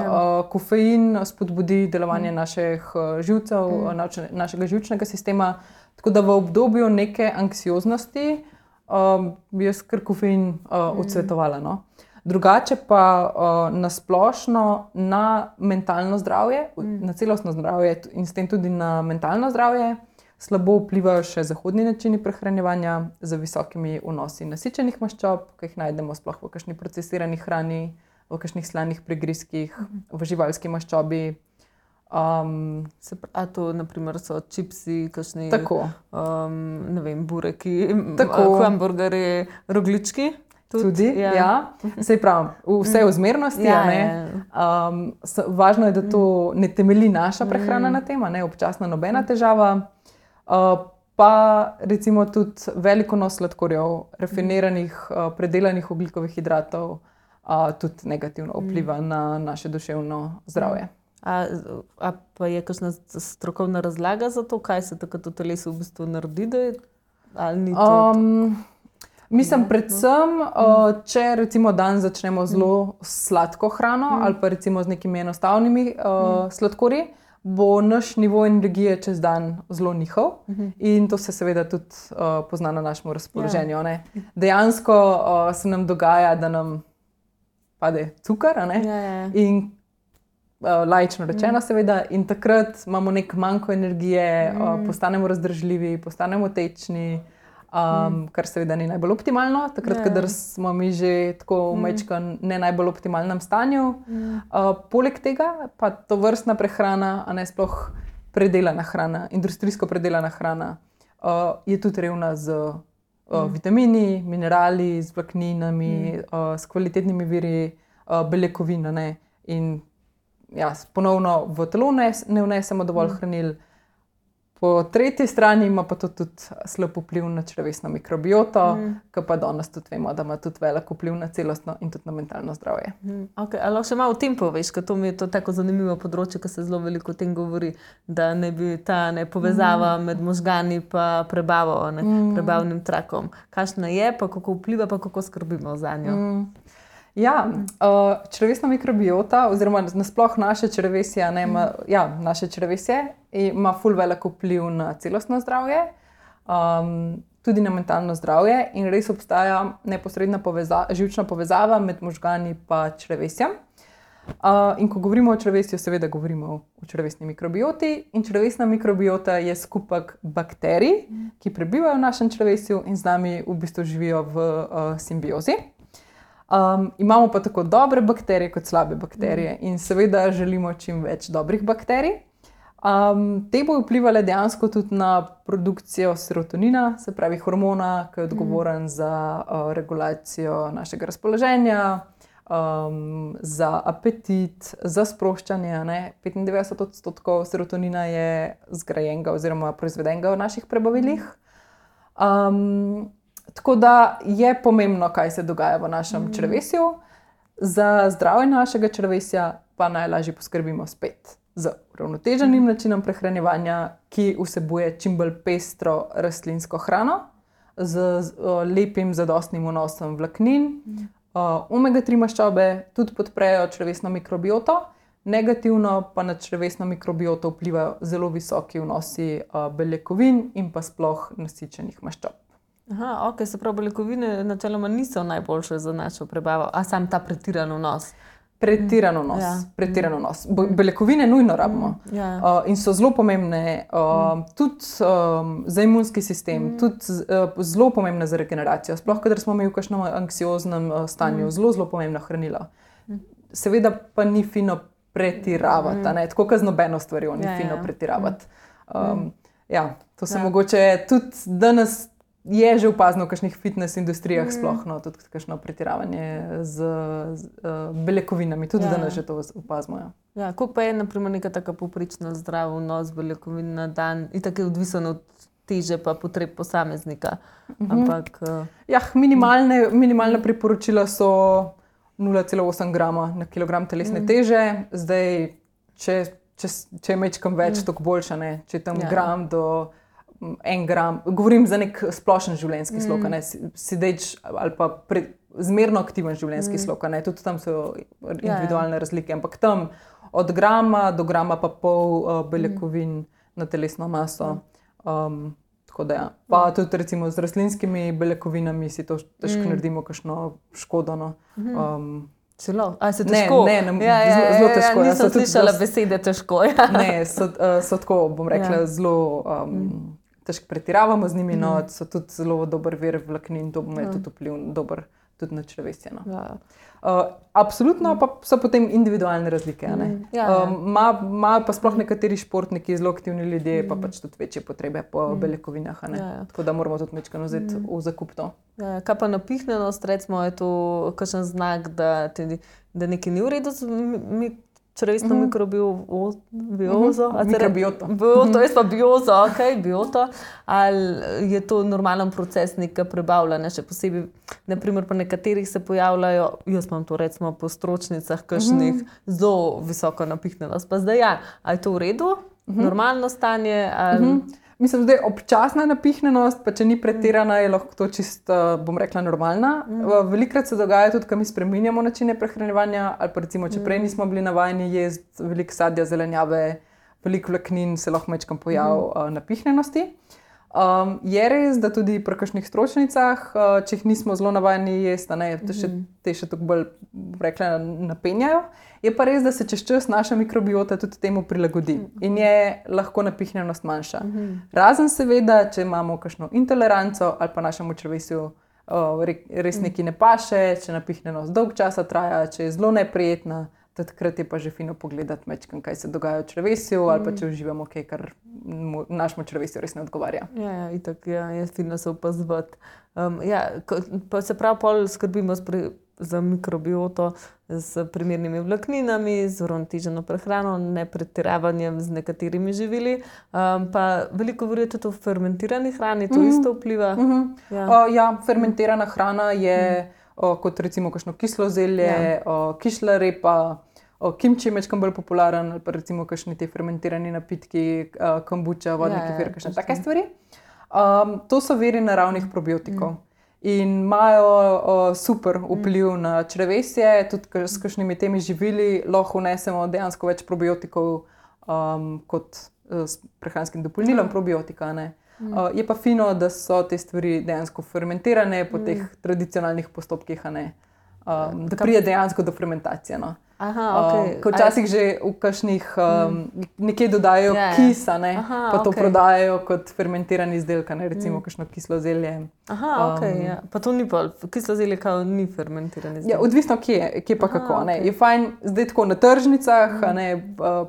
Speaker 2: kofein spodbudi delovanje naših živcev, našega živčnega sistema, tako da v obdobju neke anksioznosti bi jaz kar kofein odsvetovala. No? Drugače pa nasplošno na mentalno zdravje, na celostno zdravje in s tem tudi na mentalno zdravje slabo vplivajo še zahodni načini prehranjevanja z visokimi vnosi nasičenih maščob, ki jih najdemo sploh v kakšni procesirani hrani, v kakšnih slanih prigrizkih, v živalski maščobi.
Speaker 1: A to naprimer so čipsi, kakšni ne vem, bureki, hamburgerji, rogljički?
Speaker 2: Tudi, ja. Sej pravim, vse v zmernosti. Važno je, da to ne temelji naša prehrana na tem, občasno nobena težava. Pa recimo tudi veliko vnos sladkorjev, rafiniranih, predelanih ogljikovih hidratov tudi negativno vpliva na naše duševno zdravje.
Speaker 1: A pa je kakšna strokovna razlaga za to, kaj se takrat v telesu v bistvu naredi, da je, ali ni to?
Speaker 2: Mislim, predvsem, če recimo dan začnemo zelo sladko hrano ali pa recimo z nekimi enostavnimi sladkorji, bo naš nivo energije čez dan zelo nihal in to se seveda tudi pozna na našem razpoloženju. Dejansko se nam dogaja, da nam pade cukor, in laično rečeno seveda, in takrat imamo nek manko energije, postanemo razdražljivi, postanemo tečni, kar seveda ni najbolj optimalno, takrat, kadar smo mi že tako v majčkem ne najbolj optimalnem stanju. Poleg tega pa tovrstna prehrana, sploh predelana hrana, industrijsko predelana hrana, je tudi revna z vitamini, minerali, z vlakninami, s kvalitetnimi viri beljakovin, in ponovno v telo ne vnesemo dovolj hranil. Po tretji strani ima pa to tudi slab vpliv na črevesno mikrobioto, ki pa danes tudi vemo, da ima tudi velik vpliv na celostno in tudi na mentalno zdravje.
Speaker 1: Ali lahko še malo o tem poveš, ker to mi je to tako zanimivo področje, ker se zelo veliko o tem govori, da ne bi ta povezava med možgani pa prebavo, prebavnim trakom. Kakšna je, pa kako vpliva, pa kako skrbimo za njo?
Speaker 2: Ja, črevesna mikrobiota oziroma nasploh naše črevesje, naše črevesje ima ful velik vpliv na celostno zdravje, tudi na mentalno zdravje in res obstaja neposredna živčna povezava med možgani pa črevesjem. In ko govorimo o črevesju, seveda govorimo o črevesni mikrobioti in črevesna mikrobiota je skupek bakterij, ki prebivajo v našem črevesju in z nami v bistvu živijo v simbiozi. Imamo pa tako dobre bakterije kot slabe bakterije in seveda želimo čim več dobrih bakterij. Te bodo vplivale dejansko tudi na produkcijo serotonina, se pravi hormona, ki je odgovoren za regulacijo našega razpoloženja, za apetit, za sproščanje. 95% serotonina je zgrajenega oziroma proizvedenega v naših prebavilih. Tako da je pomembno, kaj se dogaja v našem črevesju. Za zdravje našega črevesja pa najlažje poskrbimo spet z uravnoteženim načinom prehranjevanja, ki vsebuje čim bolj pestro rastlinsko hrano, z lepim zadostnim vnosom vlaknin. Omega-3 maščobe tudi podprejo črevesno mikrobioto, negativno pa na črevesno mikrobioto vplivajo zelo visoki vnosi beljakovin in pa sploh nasičenih maščob.
Speaker 1: Se pravi, beljakovine načeloma niso najboljše za našo prebavo, a sam ta pretiran vnos?
Speaker 2: Pretiran vnos. Beljakovine nujno rabimo in so zelo pomembne tudi za imunski sistem, tudi zelo pomembne za regeneracijo. Sploh, kadar smo mi v kakšnem anksioznem stanju, zelo pomembno hranilo. Seveda pa ni fino pretiravati, tako kot z nobeno stvarjo, ni fino pretiravati. To se mogoče tudi danes je že opazno v kakšnih fitness industrijah sploh, tudi kakšno pretiravanje z beljakovinami, tudi danes že to opazimo.
Speaker 1: Ja, koliko pa je naprimer neka taka povprečna zdrav vnos beljakovin na dan, itak je odvisen od teže pa potreb posameznika. Ampak,
Speaker 2: minimalna priporočila so 0,8 grama na kilogram telesne teže. Zdaj, če je mečkam več, toliko boljše, ne? Če je tam gram do 1 gram, govorim za nek splošen življenjski slog, sedeč ali pa zmerno aktiven življenjski slog, tudi tam so individualne razlike, ampak tam od grama do grama pa pol beljakovin na telesno maso. Tako da Pa tudi recimo z rastlinskimi beljakovinami si to težko naredimo kakšno škodo.
Speaker 1: Celo? A se težko?
Speaker 2: Zelo težko.
Speaker 1: Nisem slišala besede težko.
Speaker 2: Ne, so tako, bom rekla, zelo težko pretiravamo z njimi, so tudi zelo dober vir vlaknin, to bo imel tudi vpliv dober tudi na črevesje. Absolutno pa so potem individualne razlike. Imajo pa sploh nekateri športniki, zelo aktivni ljudje, pa pač tudi večje potrebe po beljakovinah. Tako da moramo tudi nekaj vzeti v zakup to.
Speaker 1: Kaj pa napihnjenost, recimo, je to kakšen znak, da nekaj ni v redu z črevesno mikrobiozo?
Speaker 2: Mikrobioto.
Speaker 1: Jaz pa biozo, bioto. Ali je to normalen proces nekega prebavljanja, še posebej, naprimer pa nekaterih se pojavljajo, jaz imam to recimo po stročnicah, kakšnih zelo visoko napihnjenost. Pa zdaj ali je to v redu? Normalno stanje?
Speaker 2: Mislim, da je občasna napihnjenost, pa če ni pretirana, je lahko to čisto, bom rekla, normalna. Velikokrat se dogaja tudi, ko mi spreminjamo načine prehranjevanja, ali pa recimo, če prej nismo bili navajeni jesti veliko sadja, zelenjave, veliko vlaknin, se lahko majčkam pojav napihnjenosti. Je res, da tudi pri kakšnih stročnicah, če jih nismo zelo navajeni jesti, te še toliko bolj, rekla, napenjajo. Je pa res, da se čez čas naša mikrobiota tudi temu prilagodi in je lahko napihnjenost manjša. Razen seveda, če imamo kakšno intoleranco ali pa našemu črevesju res nekaj ne paše, če napihnjenost dolg časa traja, če je zelo neprijetna, takrat je pa že fino pogledati mečkam, kaj se dogaja v črevesju ali pa če uživamo kaj, kar našemu črevesju res ne odgovarja.
Speaker 1: Itak je fino se opazovati. Pa se prav pol skrbimo za mikrobioto z primernimi vlakninami, z uravnoteženo prehrano, ne pretiravanjem z nekaterimi živili. Pa veliko govorijo tudi o fermentirani hrani, to isto vpliva?
Speaker 2: Fermentirana hrana je kot recimo kakšno kislo zelje, kišla repa, kimči je mečkam bolj popularen, ali pa recimo kakšni te fermentirani napitki, kombuča, vodni kefir, kakšne take stvari. To so viri naravnih probiotikov. In imajo super vpliv na črevesje, tudi s kakšnimi temi živili lahko vnesemo dejansko več probiotikov kot s prehranskim dopolnilom probiotika. Je pa fino, da so te stvari dejansko fermentirane po teh tradicionalnih postopkih, da pride dejansko do fermentacije. Ko včasih že v kakšnih nekje dodajo kis, pa to prodajajo kot fermentirani izdelek, recimo kakšno kislo zelje.
Speaker 1: Pa to ni pa, kislo zelje kao ni fermentirani izdelek.
Speaker 2: Odvisno kje pa kako. Je fajn zdaj tako na tržnicah,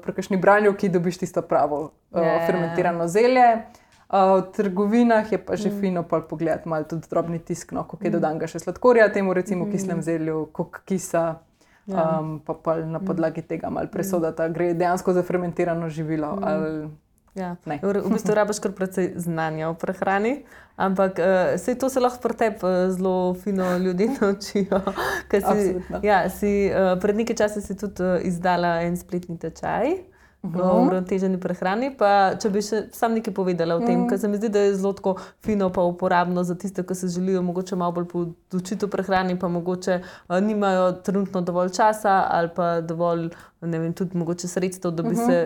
Speaker 2: pri kakšni branjevki dobiš tisto pravo fermentirano zelje. V trgovinah je pa že fino pogledati malo tudi drobni tisk, koliko je dodanega še sladkorja, temu recimo kislem zelju, koliko kisa, pa na podlagi tega malo presodata, gre dejansko za fermentirano živilo ali ne.
Speaker 1: V bistvu rabiš kar precej znanja o prehrani, ampak saj to se lahko pri tebi zelo fino ljudje naučijo. Pred nekaj časa si tudi izdala en spletni tečaj o uravnoteženi prehrani, pa če bi še sam nekaj povedala o tem, ker se mi zdi, da je zelo tako fino pa uporabno za tiste, ki se želijo mogoče malo bolj podučiti o prehrani, pa mogoče nimajo trenutno dovolj časa ali pa dovolj, ne vem, tudi mogoče sredstev, da bi se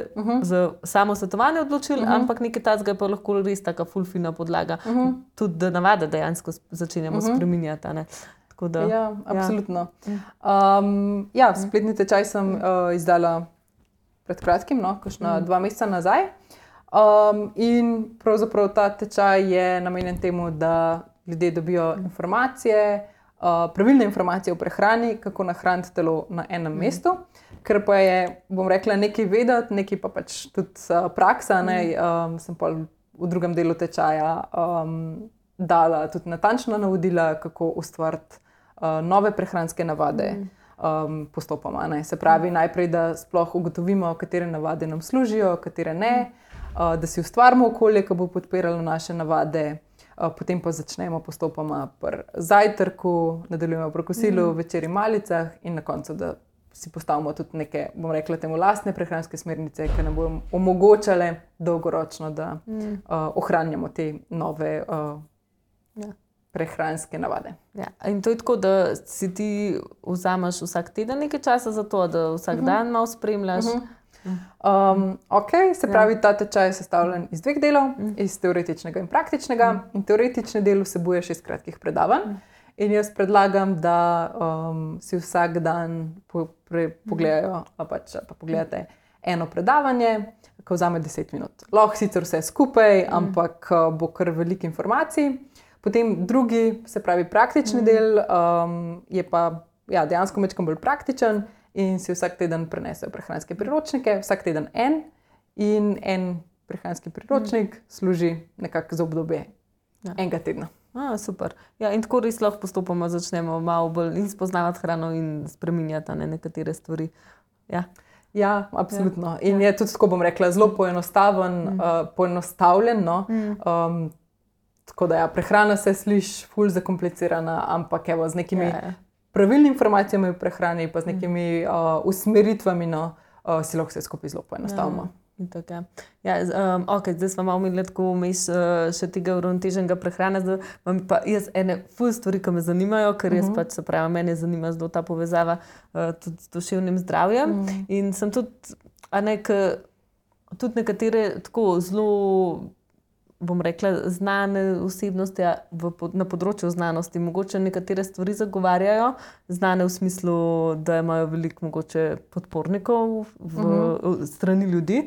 Speaker 1: za samo svetovanje odločili, ampak nekaj takega je pa lahko res taka ful fina podlaga, tudi da navade dejansko začenjamo spreminjati.
Speaker 2: Absolutno. Spletni tečaj sem izdala pred kratkim, kakšna 2 meseca nazaj. In pravzaprav ta tečaj je namenjen temu, da ljudje dobijo informacije, pravilne informacije o prehrani, kako nahraniti telo na enem mestu. ker pa je, bom rekla, nekaj vedeti, nekaj pa pač tudi praksa, sem pa v drugem delu tečaja dala tudi natančna navodila, kako ustvariti nove prehranske navade postopoma. Se pravi, najprej, da sploh ugotovimo, katere navade nam služijo, katere ne, da si ustvarimo okolje, ki bo podpiralo naše navade, potem pa začnemo postopoma pri zajtrku, nadaljujemo pri kosilu, večerji, malicah in na koncu, da si postavimo tudi neke, bom rekla, temu lastne prehranske smernice, ki nam bodo omogočale dolgoročno, da ohranjamo te nove prehranske navade.
Speaker 1: Ja. In to je tako, da si ti vzameš vsak teden nekaj časa za to, da vsak dan malo spremljaš?
Speaker 2: Se pravi, ta tečaj je sestavljen iz 2 delov, iz teoretičnega in praktičnega. In teoretični del vsebuje 6 kratkih predavanj. In jaz predlagam, da si vsak dan pogledajo, pa pogledate eno predavanje, ki vzame 10 minut. Lahko sicer vse skupaj, ampak bo kar veliko informacij. Potem drugi, se pravi praktični del, je pa dejansko malo bolj praktičen in si vsak teden prenesejo prehranske priročnike, vsak teden in en prehranski priročnik služi nekako za obdobje enega tedna.
Speaker 1: Super. Ja, in tako res lahko postopoma začnemo malo bolj in spoznavati hrano in spreminjati nekatere stvari.
Speaker 2: Ja, absolutno. In je tudi, tako bom rekla, zelo poenostavljen. Tako da prehrana se sliši ful zakomplicirana, ampak z nekimi pravilnimi informacijami o prehrani pa z nekimi usmeritvami si lahko vse skupaj zelo poenostavimo. Zdaj smo malo imeli tako vmes še tega uravnoteženega prehrane, zdaj imam pa jaz ene ful stvari, ki me zanimajo, ker jaz pač, se pravi, mene zanima zelo ta povezava tudi z duševnim zdravjem in sem tudi, tudi nekatere tako zelo, bom rekla, znane osebnosti na področju znanosti, mogoče nekatere stvari zagovarjajo, znane v smislu, da imajo veliko mogoče podpornikov strani ljudi.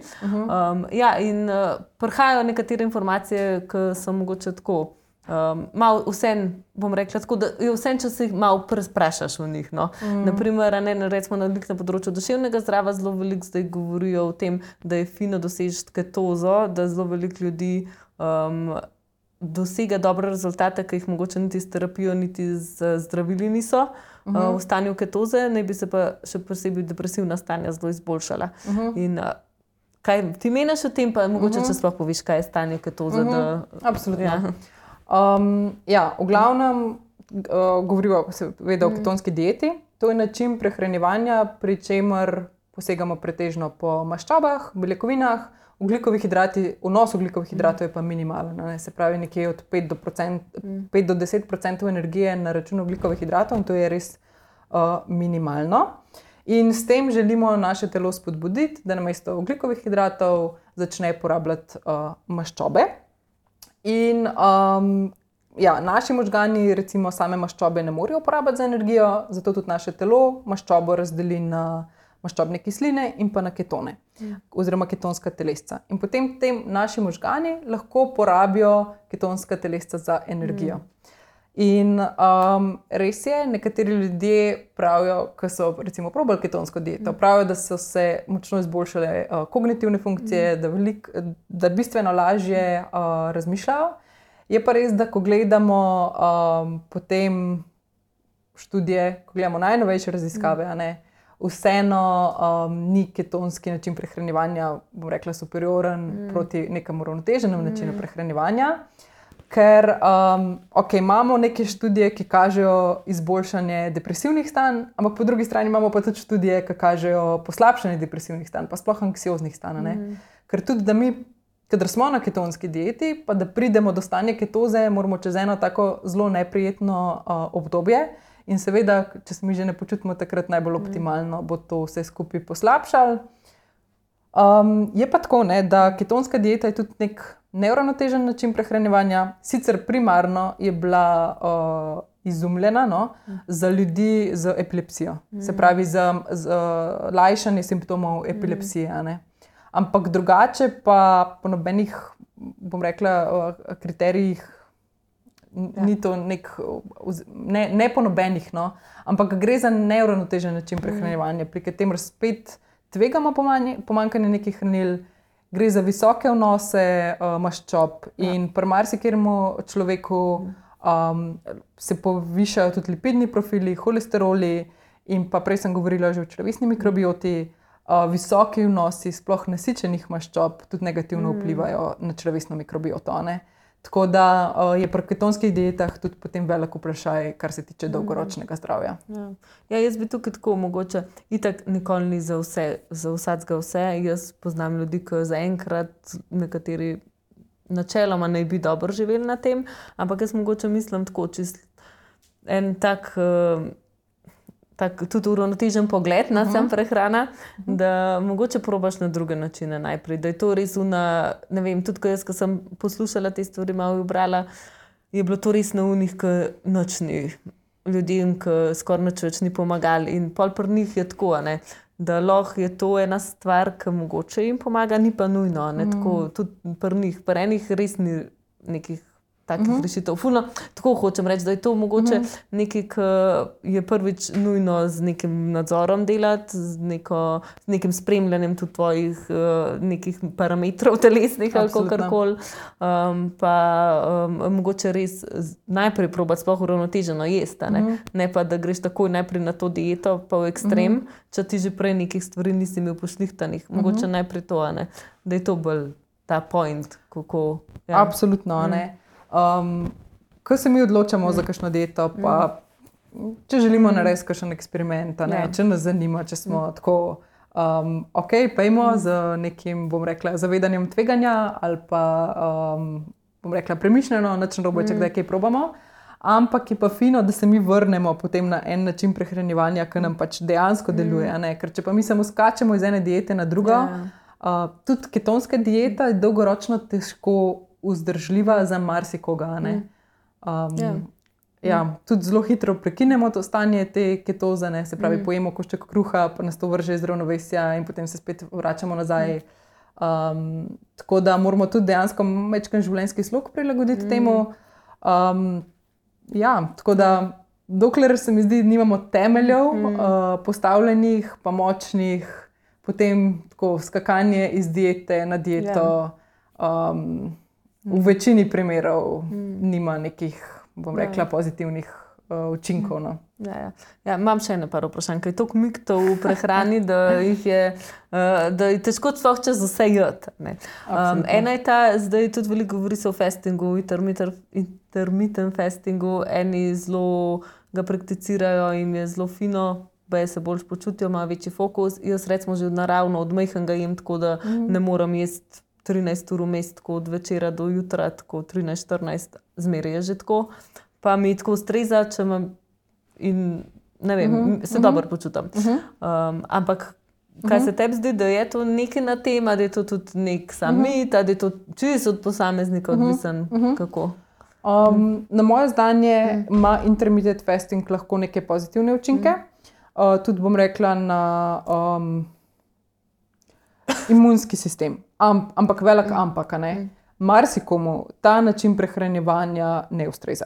Speaker 2: In prihajajo nekatere informacije, ki so mogoče tako, malo vsem, bom rekla tako, da je vsem, če se jih malo presprašaš v njih. Naprimer, recimo na področju duševnega zdravja zelo veliko zdaj govorijo o tem, da je fino doseči ketozo, da zelo veliko ljudi dosega dobre rezultate, ki jih mogoče niti s terapijo, niti z zdravili niso v stanju ketoze, naj bi se pa še posebej depresivna stanja zelo izboljšala. In kaj ti meniš o tem, pa mogoče če sploh poviš, kaj je stanje ketoze? Absolutno. V glavnem govorijo seveda o ketonski dieti. To je način prehranjevanja, pri čemer posegamo pretežno po maščobah, beljakovinah, ogljikovih hidratih, vnos ogljikovih hidratov je pa minimalen. Se pravi, nekje od 5 do 10% energije na račun ogljikovih hidratov in to je res minimalno. In s tem želimo naše telo spodbuditi, da namesto ogljikovih hidratov začne porabljati maščobe. In naši možgani recimo same maščobe ne morejo uporabljati za energijo, zato tudi naše telo maščobo razdeli na maščobne kisline in pa na ketone, oziroma ketonska telesca. In potem naši možgani lahko porabijo ketonska telesca za energijo. In res je, nekateri ljudje pravijo, ki so recimo probali ketonsko dieto, pravijo, da so se močno izboljšale kognitivne funkcije, da bistveno lažje razmišljajo. Je pa res, da ko gledamo potem študije, ko gledamo najnovejše raziskave, vseeno ni ketonski način prehranjevanja, bom rekla, superioren proti nekemu uravnoteženemu načinu prehranjevanja, ker imamo neke študije, ki kažejo izboljšanje depresivnih stanj, ampak po drugi strani imamo pa tudi študije, ki kažejo poslabšanje depresivnih stanj, pa sploh anksioznih stanj. Ker tudi, da mi, kadar smo na ketonski dieti, pa da pridemo do stanja ketoze, moramo čez eno tako zelo neprijetno obdobje. In seveda, če se mi že ne počutimo takrat najbolj optimalno, bo to vse skupaj poslabšalo. Je pa tako, da ketonska dieta je tudi nek neuravnotežen način prehranjevanja. Sicer primarno je bila izumljena za ljudi z epilepsijo. Se pravi, za lajšanje simptomov epilepsije. Ampak drugače pa po nobenih, bom rekla, kriterijih ni to ne po nobenih, no, ampak gre za neuravnotežen način prehranjevanja, pri katerem spet tvegamo pomanjkanje nekih hranil, gre za visoke vnose maščob in pri marsikateremu človeku se povišajo tudi lipidni profili, holesteroli in pa prej sem govorila že o črevesni mikrobioti. Visoki vnosi sploh nasičenih maščob tudi negativno vplivajo na črevesno mikrobioto. Tako da je pri ketonskih dietah tudi potem velik vprašaj, kar se tiče dolgoročnega zdravja.
Speaker 1: Ja, jaz bi tukaj tako mogoče, itak nikoli ni za vsakega vse. Jaz poznam ljudi, ki zaenkrat nekateri načeloma naj bi dobro živeli na tem, ampak jaz mogoče mislim tako, čist en tak tudi uravnotežen pogled na sam prehrana, da mogoče probaš na druge načine najprej, da je to res ne vem, tudi ko sem poslušala te stvari, malo brala, je bilo to res na unih, ki nič ni ljudem, ki skoraj nič več ni pomagali in pol pri njih je tako, da lahko je to ena stvar, ki mogoče jim pomaga, ni pa nujno, tako tudi pri njih, pri enih res ni nekih takih rešitev. Fulno, tako hočem reči, da je to mogoče nekaj, ki je prvič nujno z nekim nadzorom delati, z nekim spremljanjem tudi tvojih nekih parametrov telesnih ali kakorkoli. Pa mogoče res najprej probati sploh uravnoteženo jesti, ne pa, da greš takoj najprej na to dieto, pa v ekstrem, če ti že prej nekih stvari nisi imel pošlihtanih. Mogoče najprej to, da je to bolj ta point, kako...
Speaker 2: Ja. Absolutno, ko se mi odločamo za kakšno dieto, pa če želimo narediti kakšen eksperiment, če nas zanima, če smo tako ok, pejmo z nekim, bom rekla, zavedanjem tveganja ali pa, bom rekla, premišljeno, nič narobe, če kdaj kaj probamo, ampak je pa fino, da se mi vrnemo potem na en način prehranjevanja, ki nam pač dejansko deluje, ker če pa mi samo skačemo iz ene diete na drugo, tudi ketonska dieta je dolgoročno težko vzdržljiva za marsikoga. Tudi zelo hitro prekinemo to stanje te ketoze, se pravi, pojemo košček kruha, pa nas to vrže iz ravnovesja in potem se spet vračamo nazaj. Tako da moramo tudi dejansko majčken življenjski slog prilagoditi temu. Tako da dokler se mi zdi, nimamo temeljev postavljenih, pa močnih, potem tako skakanje iz diete na dieto, v večini primerov nima nekih, bom rekla, pozitivnih učinkov.
Speaker 1: Imam še eno par vprašanj, kaj je toliko miktov v prehrani, da je težko sploh čez vse jeti. Ena je ta, zdaj tudi veliko govori se o fastingu, intermittent fastingu, eni zelo ga prakticirajo in je zelo fino, baje se bolj počutijo, ima večji fokus. Jaz recimo že naravno od majhnega jem, tako da ne moram jesti 13 ur vmes, tako od večera do jutra, tako 13-14, zmeraj je že tako. Pa mi tako ustreza, če imam in ne vem, se dobro počutim. Ampak kaj se tebi zdi, da je to nekaj na tema, da je to tudi nek sam mit, da je to čisto od posameznika odvisen, kako?
Speaker 2: Na moje znanje ima intermittent fasting lahko neke pozitivne učinke. Tudi bom rekla na imunski sistem. Ampak velik ampak, marsikomu ta način prehranjevanja ne ustreza.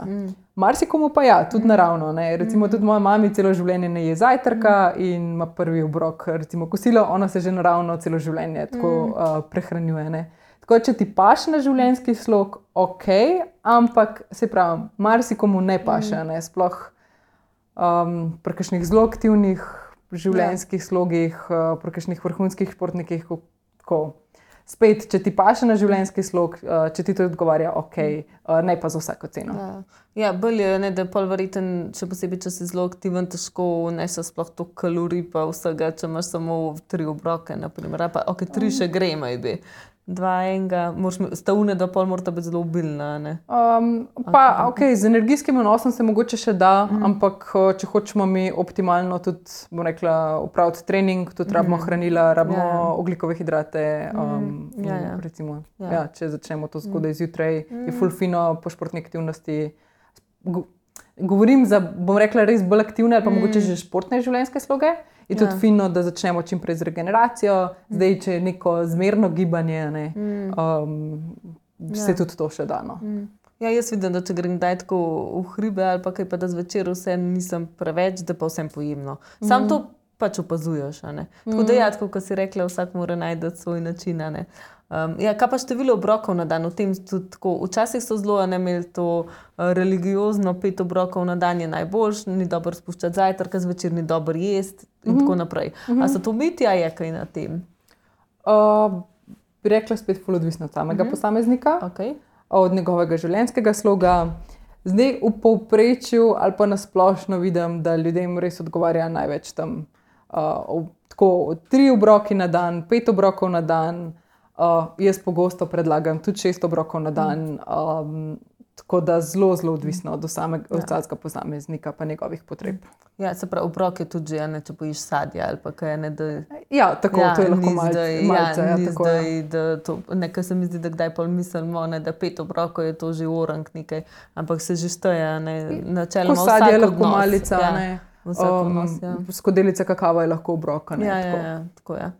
Speaker 2: Marsikomu pa ja, tudi naravno. Recimo tudi moja mama celo življenje ne je zajtrka in ima prvi obrok, recimo kosilo, ona se že naravno celo življenje tako prehranjuje. Tako če ti paše na življenjski slog, ok, ampak se pravi, marsikomu ne paše, sploh pri kakšnih zelo aktivnih življenjskih slogih, pri kakšnih vrhunskih športnikih, tako. Spet, če ti paše na življenjski slog, če ti to odgovarja, ok, ne pa za vsako ceno.
Speaker 1: Bolj je, da je pol verjeten, še posebej, če si zelo aktiven, težko vnese sploh toliko kalorij pa vsega, če imaš samo 3 obroke, naprimer. Pa ok, 3 še gre, maybe. 2, enega, stavune, da pol morata biti zelo obilna,
Speaker 2: Ok, z energijskim vnosom se mogoče še da, ampak če hočemo mi optimalno tudi, bom rekla, opraviti trening, tudi rabimo hranila, rabimo ogljikove hidrate, recimo, če začnemo to zgodaj zjutraj, je ful fino po športni aktivnosti. Govorim za, bom rekla, res bolj aktivne ali pa mogoče že športne življenjske sloge. Je tudi fino, da začnemo čim prej z regeneracijo. Zdaj, če je neko zmerno gibanje, se tudi to še da.
Speaker 1: Ja, jaz vidim, da če grem kdaj tako v hribe ali pa kaj, pa da zvečer vse nisem preveč, da pa vsem pojemno. Sam to pač opazuješ, a ne. Tako da ja, tako kot si rekla, vsak mora najti svoj način, a ne. Ja, kaj pa število obrokov na dan? V tem tudi tako, včasih so zelo imeli to religiozno 5 obrokov na dan je najboljš, ni dobro spuščati zajtrka, zvečer ni dobro jesti in tako naprej. A so to miti, a je kaj na tem?
Speaker 2: Bi rekla spet ful odvisno od samega posameznika, od njegovega življenjskega sloga. Zdaj v povprečju ali pa nasplošno vidim, da ljudem res odgovarja največ tam tako 3 obroki na dan, 5 obrokov na dan. Jaz pogosto predlagam tudi 6 obrokov na dan, tako da zelo, zelo odvisno od vsakega posameznika pa njegovih potreb.
Speaker 1: Ja, se pravi, obrok je tudi že, če pojiš sadje ali pa kaj, ne, da...
Speaker 2: Ja, tako, to je lahko malce.
Speaker 1: Ni zdaj, da to, nekaj se mi zdi, da kdaj pol mislimo, ne, da 5 obrokov je to že orang nekaj, ampak se že šteje, ne, načeloma vsak odnos.
Speaker 2: Ko sadje je lahko malica, ne,
Speaker 1: vsak odnos,
Speaker 2: skodelica kakava je lahko obroka, ne, tako.
Speaker 1: Ja, tako je.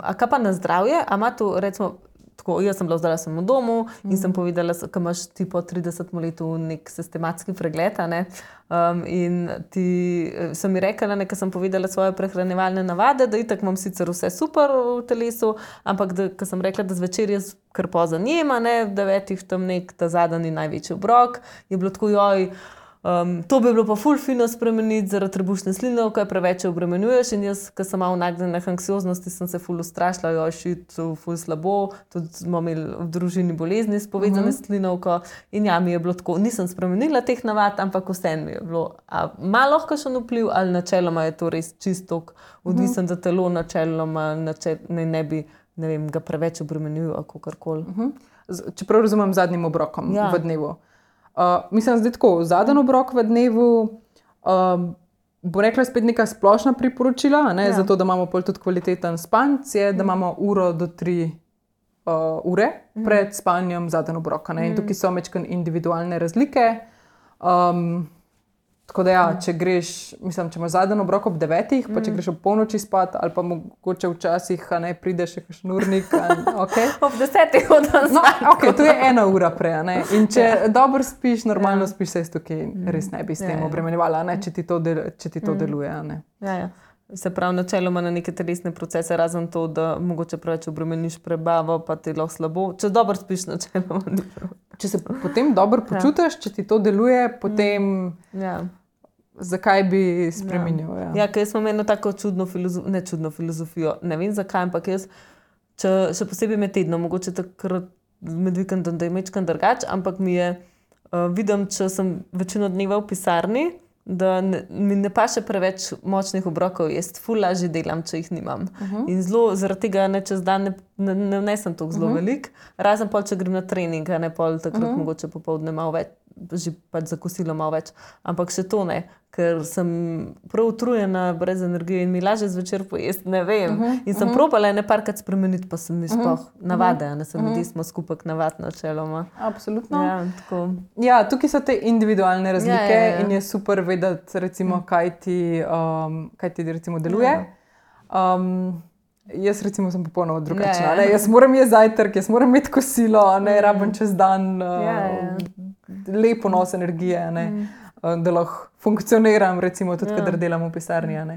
Speaker 1: A kaj pa na zdravje? A ima to, recimo, tako, jaz sem bila zdaj v domu in sem povedala, ko imaš ti po 30 letu nek sistematski pregled, ne? In ti sem mi rekla, ko sem povedala svoje prehranjevalne navade, da itak imam sicer vse super v telesu, ampak ko sem rekla, da zvečer jaz kar pozan jem, ne, v 9 tam nek ta zadnji največji obrok, je bilo tako, joj, to bi bilo pa ful fino spremeniti zaradi trebušne sline, ko je preveč obremenjuješ in jaz, ko sem malo nagnjena k anksioznosti, sem se ful ustrašila, joj, šit, ful slabo, tudi smo imeli v družini bolezni s povezane slinovko in ja, mi je bilo tako, nisem spremenila teh navad, ampak vseeno mi je bilo, a ima lahko še vpliv ali načeloma je to res čisto odvisen, da telo načeloma ne bi, ne vem, ga preveč obremenjujo, ali kakorkoli.
Speaker 2: Čeprav razumem zadnjim obrokom v dnevu. Mislim, zdaj tako, zadnji obrok v dnevu, bo rekla spet neka splošna priporočila, ne, zato da imamo pol tudi kvaliteten spanc, je, da imamo 1 do 3 ure pred spanjem zadnji obroka. In tukaj so majčkeno individualne razlike. Tako da ja, če greš, mislim, če imaš zadnji obrok ob 9, pa če greš ob polnoči spat, ali pa mogoče včasih, ne, prideš še kakšen urnik, okay.
Speaker 1: Ob 10 hodim spat.
Speaker 2: No, ok, to je 1 ura prej, ne. In če dobro spiš, normalno spiš, se tukaj res ne bi s tem obremenjevala, ne, če ti to deluje, ne.
Speaker 1: Ja. Se pravi, načeloma na neke telesne procese, razen to, da mogoče preveč obremeniš prebavo, pa ti lahko slabo. Če dobro spiš, načeloma ni prav.
Speaker 2: Če se potem dobro počutiš, če ti to deluje, potem... Zakaj bi spremenil?
Speaker 1: Ja, ker smo imeli tako čudno filozofijo, ne vem zakaj, ampak jaz, še posebej med tednom, mogoče takrat med vikendom, da je mečkan drugače, ampak mi je, vidim, če sem večino dneva v pisarni, da mi ne paše preveč močnih obrokov, jaz ful lažje delam, če jih nimam. In zelo zaradi tega ne čez dan ne vnesem toliko zelo veliko, razen pol, če grem na trening, ne pol takrat mogoče popoldne malo več, že pač za kosilo malo več, ampak še to ne, ker sem prav utrujena, brez energije in mi lažje zvečer pojesti, ne vem. In sem probala ene parkrat spremeniti, pa sem mi sploh navade, ne, se ljudje smo skupaj navad načeloma.
Speaker 2: Absolutno.
Speaker 1: Ja, tako.
Speaker 2: Ja, tukaj so te individualne razlike in je super vedeti, recimo, kaj ti recimo deluje. Jaz recimo sem popolnoma drugačna. Jaz moram jesti zajtrk, jaz moram imeti kosilo, ne rabim čez dan lep ponos energije, ne, da lahko funkcioniram, recimo tudi, kadar delam v pisarni. Ne,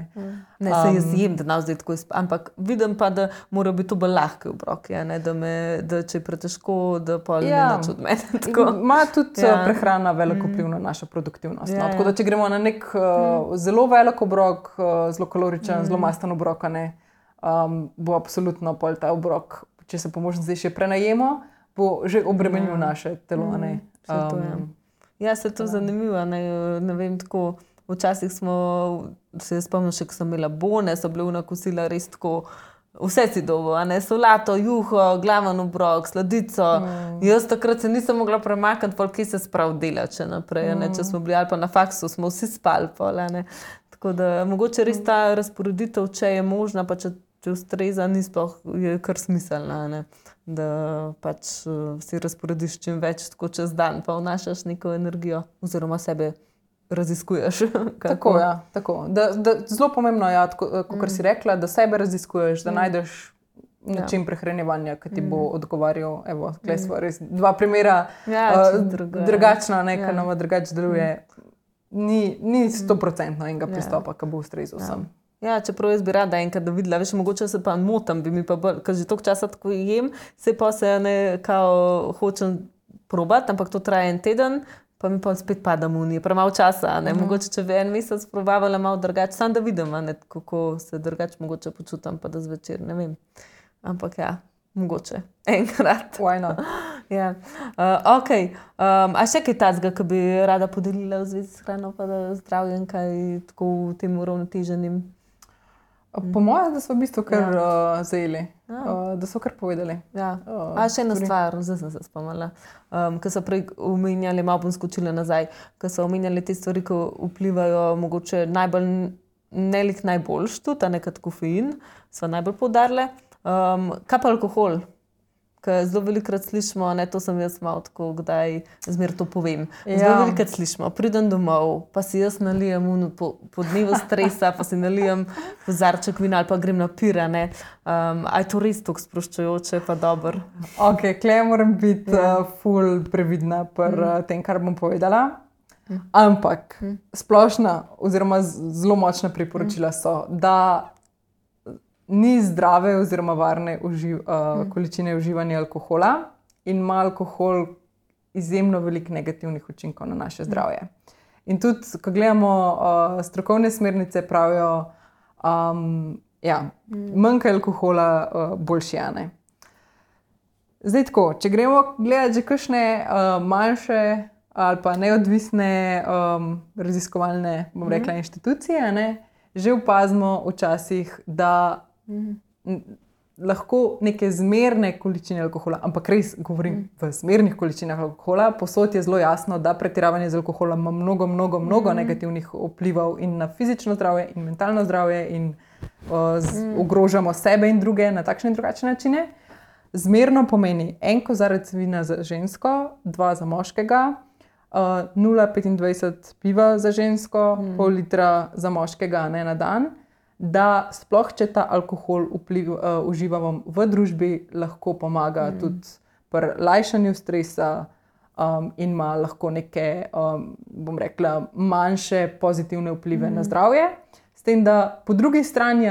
Speaker 1: se jaz jem, da zdaj tako ampak vidim pa, da mora biti to bolj lahki obroki, da če je pretežko, da pol ni nič od mene.
Speaker 2: Ima tudi prehrana veliko vpliv na našo produktivnost. Tako da, če gremo na nek zelo velik obrok, zelo kaloričen, zelo masten obrok, bo absolutno pol ta obrok, če se po možnosti še prenajemo, bo že obremenil naše telo.
Speaker 1: Ja, se to zanimivo, ne vem, tako, včasih se spomnim še, ko sem imela bone, so bile vna kosila res tako, vse si dobil, solato, juho, glaven obrok, sladico. Jaz takrat se nisem mogla premakniti, pol kje se sprav dela, če naprej, če smo bili ali pa na faksu, smo vsi spali pol, tako da mogoče res ta razporeditev, če je možna, pa če ustreza, ni sploh, je kar smiselna, da pač si razporediš čim več tako čez dan, pa vnašaš neko energijo oziroma sebe raziskuješ.
Speaker 2: Tako, ja, tako. Zelo pomembno je, kot si rekla, da sebe raziskuješ, da najdeš način prehranjevanja, ki ti bo odgovarjal. Evo, tukaj smo res dva primera, drugačna, ki nam drugače deluje. Ni 100% enega pristopa, ki bo ustrezal vsem.
Speaker 1: Ja, čeprav jaz bi rada enkrat videla, veš, mogoče se pa motam, ker že toliko časa tako jem, se pa se hočem probati, ampak to traja en teden, pa mi pa spet pada munije, premalo časa, mogoče če bi en mesec probavala malo drugače, samo da vidim, kako se drugače mogoče počutam, pa da zvečer, ne vem. Ampak ja, mogoče, enkrat.
Speaker 2: Why not?
Speaker 1: Ja. Ok, a še kaj tazga, ki bi rada podelila v zvezi s hrano, pa da zdravjem kaj tako v tem uravnoteženim?
Speaker 2: Po mojem, da so v bistvu kar zajeli, da so kar povedali.
Speaker 1: Ja. A še ena stvar, zdaj sem se spomnila, ko so prej omenjali, malo bom skočila nazaj, ko so omenjali te stvari, ki vplivajo mogoče najbolj, najboljš tudi, kot kofein, so najbolj poudarile. Kaj pa alkohol? Ker zelo velikokrat slišimo, to sem jaz malo tako, kdaj zmer to povem. Zelo velikokrat slišimo, pridem domov, pa si jaz nalijem po dnevu stresa, pa si nalijem kozarček vina ali pa grem na pir, a je to res tako sproščujoče, pa dobro?
Speaker 2: Ok, tukaj moram biti ful previdna pri tem, kar bom povedala. Ampak splošna oziroma zelo močna priporočila so, da ni zdrave oziroma varne količine uživanja alkohola in ima alkohol izjemno veliko negativnih učinkov na naše zdravje. In tudi, ko gledamo strokovne smernice, pravijo, manjka alkohola, boljši, a ne. Zdaj tako, če gremo gledati že kakšne manjše ali pa neodvisne raziskovalne, bom rekla, inštitucije, a ne, že opazimo včasih, da lahko neke zmerne količine alkohola, ampak res govorim v zmernih količinah alkohola, povsod je zelo jasno, da pretiravanje z alkoholom ima mnogo negativnih vplivov in na fizično zdravje in mentalno zdravje in ogrožamo sebe in druge na takšne in drugačne načine. Zmerno pomeni 1 kozarec vina za žensko, 2 za moškega, 0,25 piva za žensko, pol litra za moškega, ne na dan, da sploh, če ta alkohol uživamo v družbi, lahko pomaga tudi pri lajšanju stresa in ima lahko neke, bom rekla, manjše pozitivne vplive na zdravje. S tem, da po drugi strani,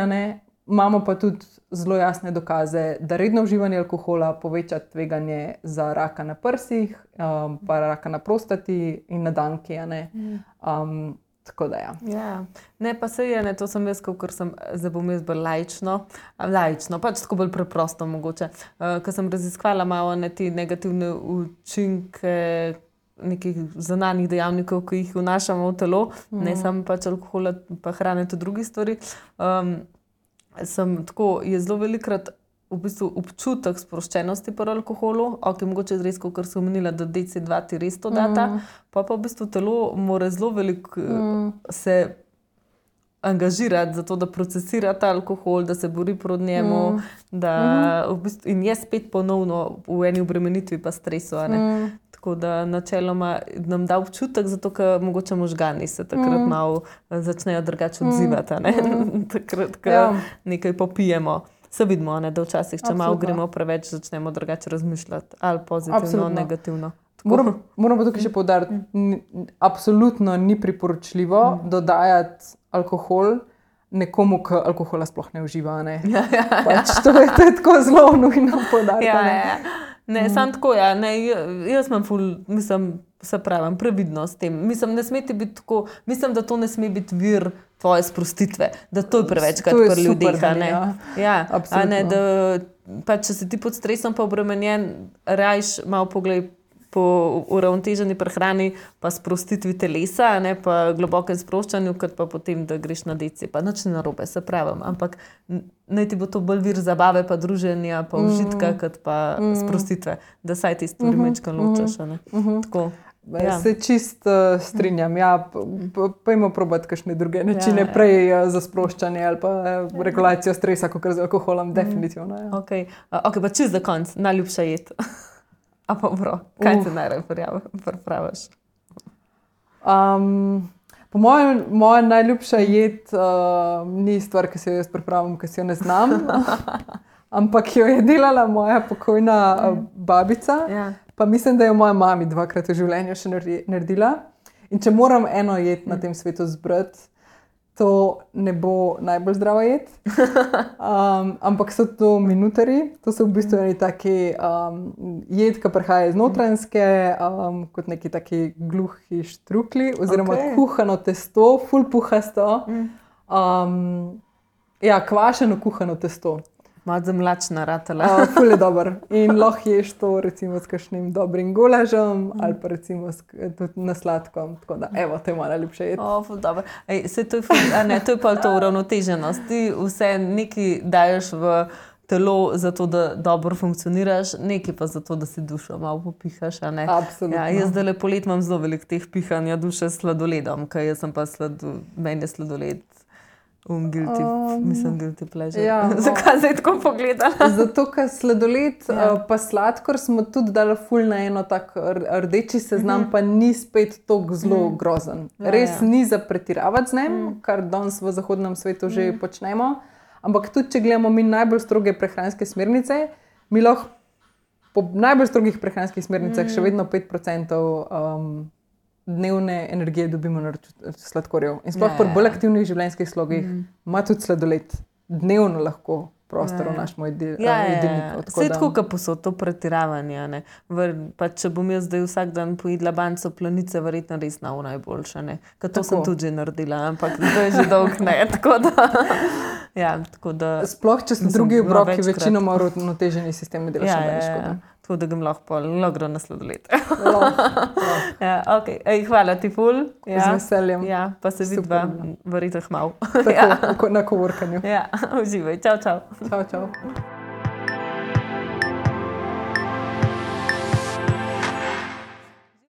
Speaker 2: imamo pa tudi zelo jasne dokaze, da redno uživanje alkohola poveča tveganje za raka na prsih, pa raka na prostati in na danki, tako da ja.
Speaker 1: Ja, ne pa se je, to sem jaz, ker sem, zdaj bom jaz bolj laično, pač tako bolj preprosto mogoče, ker sem raziskvala malo te negativne učinke nekih zunanjih dejavnikov, ki jih vnašamo v telo, ne samo pač alkohola, pa hrane, tudi drugih stvari. Je zelo velikokrat v bistvu občutek sproščenosti pri alkoholu, mogoče res, kot sem omenila, da DC2 ti res to data, pa v bistvu telo mora zelo veliko se angažirati za to, da procesira ta alkohol, da se bori proti njemu, in je spet ponovno v eni obremenitvi pa stresu, Tako da načeloma nam da občutek, zato ker mogoče možgani se takrat malo začnejo drugače odzivati, takrat, ko nekaj popijemo. Se vidimo, da včasih, če malo gremo preveč, začnemo drugače razmišljati, ali pozitivno, negativno.
Speaker 2: Moram pa tukaj še poudariti, absolutno ni priporočljivo dodajati alkohol nekomu, ki alkohola sploh ne uživa. Pač to je tako zelo nujno poudariti.
Speaker 1: Ne, samo tako, jaz imam se pravim, previdno s tem. Ne sme ti biti tako, mislim, da to ne sme biti vir tvoje sprostitve, da to je prevečkrat pri ljudeh. Da pač, če si ti pod stresom pa obremenjen, rajš malo poglej po uravnoteženi prehrani, pa sprostitvi telesa, pa globokem sproščanju, kot pa potem, da greš na DC. Pa nič ne narobe, se pravim, ampak naj ti bo to bolj vir zabave, pa druženja, pa užitka, kot pa sprostitve, da saj ti stvari majčkeno ločaš. Tako.
Speaker 2: Se čist strinjam. Pojmo probati kakšne druge načine, prej za sproščanje ali pa regulacijo stresa, kot z alkoholom, definitivno.
Speaker 1: Ok, pa čist za konc, najljubša jed. A pa bro, kaj ti najraje pripraviš?
Speaker 2: Po moja najljubša jed ni stvar, ki si jo jaz pripravim, ki si jo ne znam. ampak jo je delala moja pokojna babica.
Speaker 1: Ja.
Speaker 2: Pa mislim, da je moja mama 2-krat v življenju še naredila. In če moram eno jed na tem svetu zbrati, to ne bo najbolj zdrava jed. Ampak so to minutari, to so v bistvu eni taki jed, ki prihaja iz Notranjske, kot neki taki gluhi štrukli, oziroma kuhano testo, ful puhasto. Ja, kvašeno kuhano testo.
Speaker 1: Malo zamlačna ratala.
Speaker 2: Ful je dober. In lahko ješ to recimo s kakšnim dobrim golažem ali pa recimo tudi na sladko. Tako da, evo, to je moja najljubša jed.
Speaker 1: Ful dobro. To je pa to uravnoteženost. Ti vse nekaj daješ v telo zato, da dobro funkcioniraš, nekaj pa zato, da si dušo malo popihaš, a ne?
Speaker 2: Absolutno.
Speaker 1: Ja, jaz zdaj po letu imam zelo veliko teh pihanja duše s sladoledom, ker jaz sem pa meni je sladoled. Guilty pleasure.
Speaker 2: Ja,
Speaker 1: zakaj zdaj tako pogledala?
Speaker 2: Zato, ker sladoled pa sladkor smo tudi dali ful na eno tak rdeči seznam, pa ni spet tako zelo grozen. Res ni za pretiravati z njim, kar danes v zahodnem svetu že počnemo, ampak tudi, če gledamo mi najbolj stroge prehranske smernice, mi lahko po najbolj strogih prehranskih smernicah še vedno 5% dnevne energije dobimo na sladkorjev. In sploh pri bolj aktivnih življenjskih slogih ima tudi sladoled dnevno lahko prostor v našem jedilniku.
Speaker 1: Vse tako, kot posod to pretiravanje. Ne? Pa če bom jaz zdaj vsak dan pojedla banco planice, verjetno res najboljša. Ker to sem tudi že naredila, ampak zdaj že dolg ne. Tako da,
Speaker 2: sploh, če so drugi obroki večinoma uravnoteženi sistemi, delaš nobene škode.
Speaker 1: Tako da ga lahko logro na sladoled. Hvala ti ful.
Speaker 2: Z veseljem.
Speaker 1: Pa se vidva verjetno malo.
Speaker 2: Tako, na coworkanju.
Speaker 1: Uživaj. Čau, čau.
Speaker 2: Čau, čau.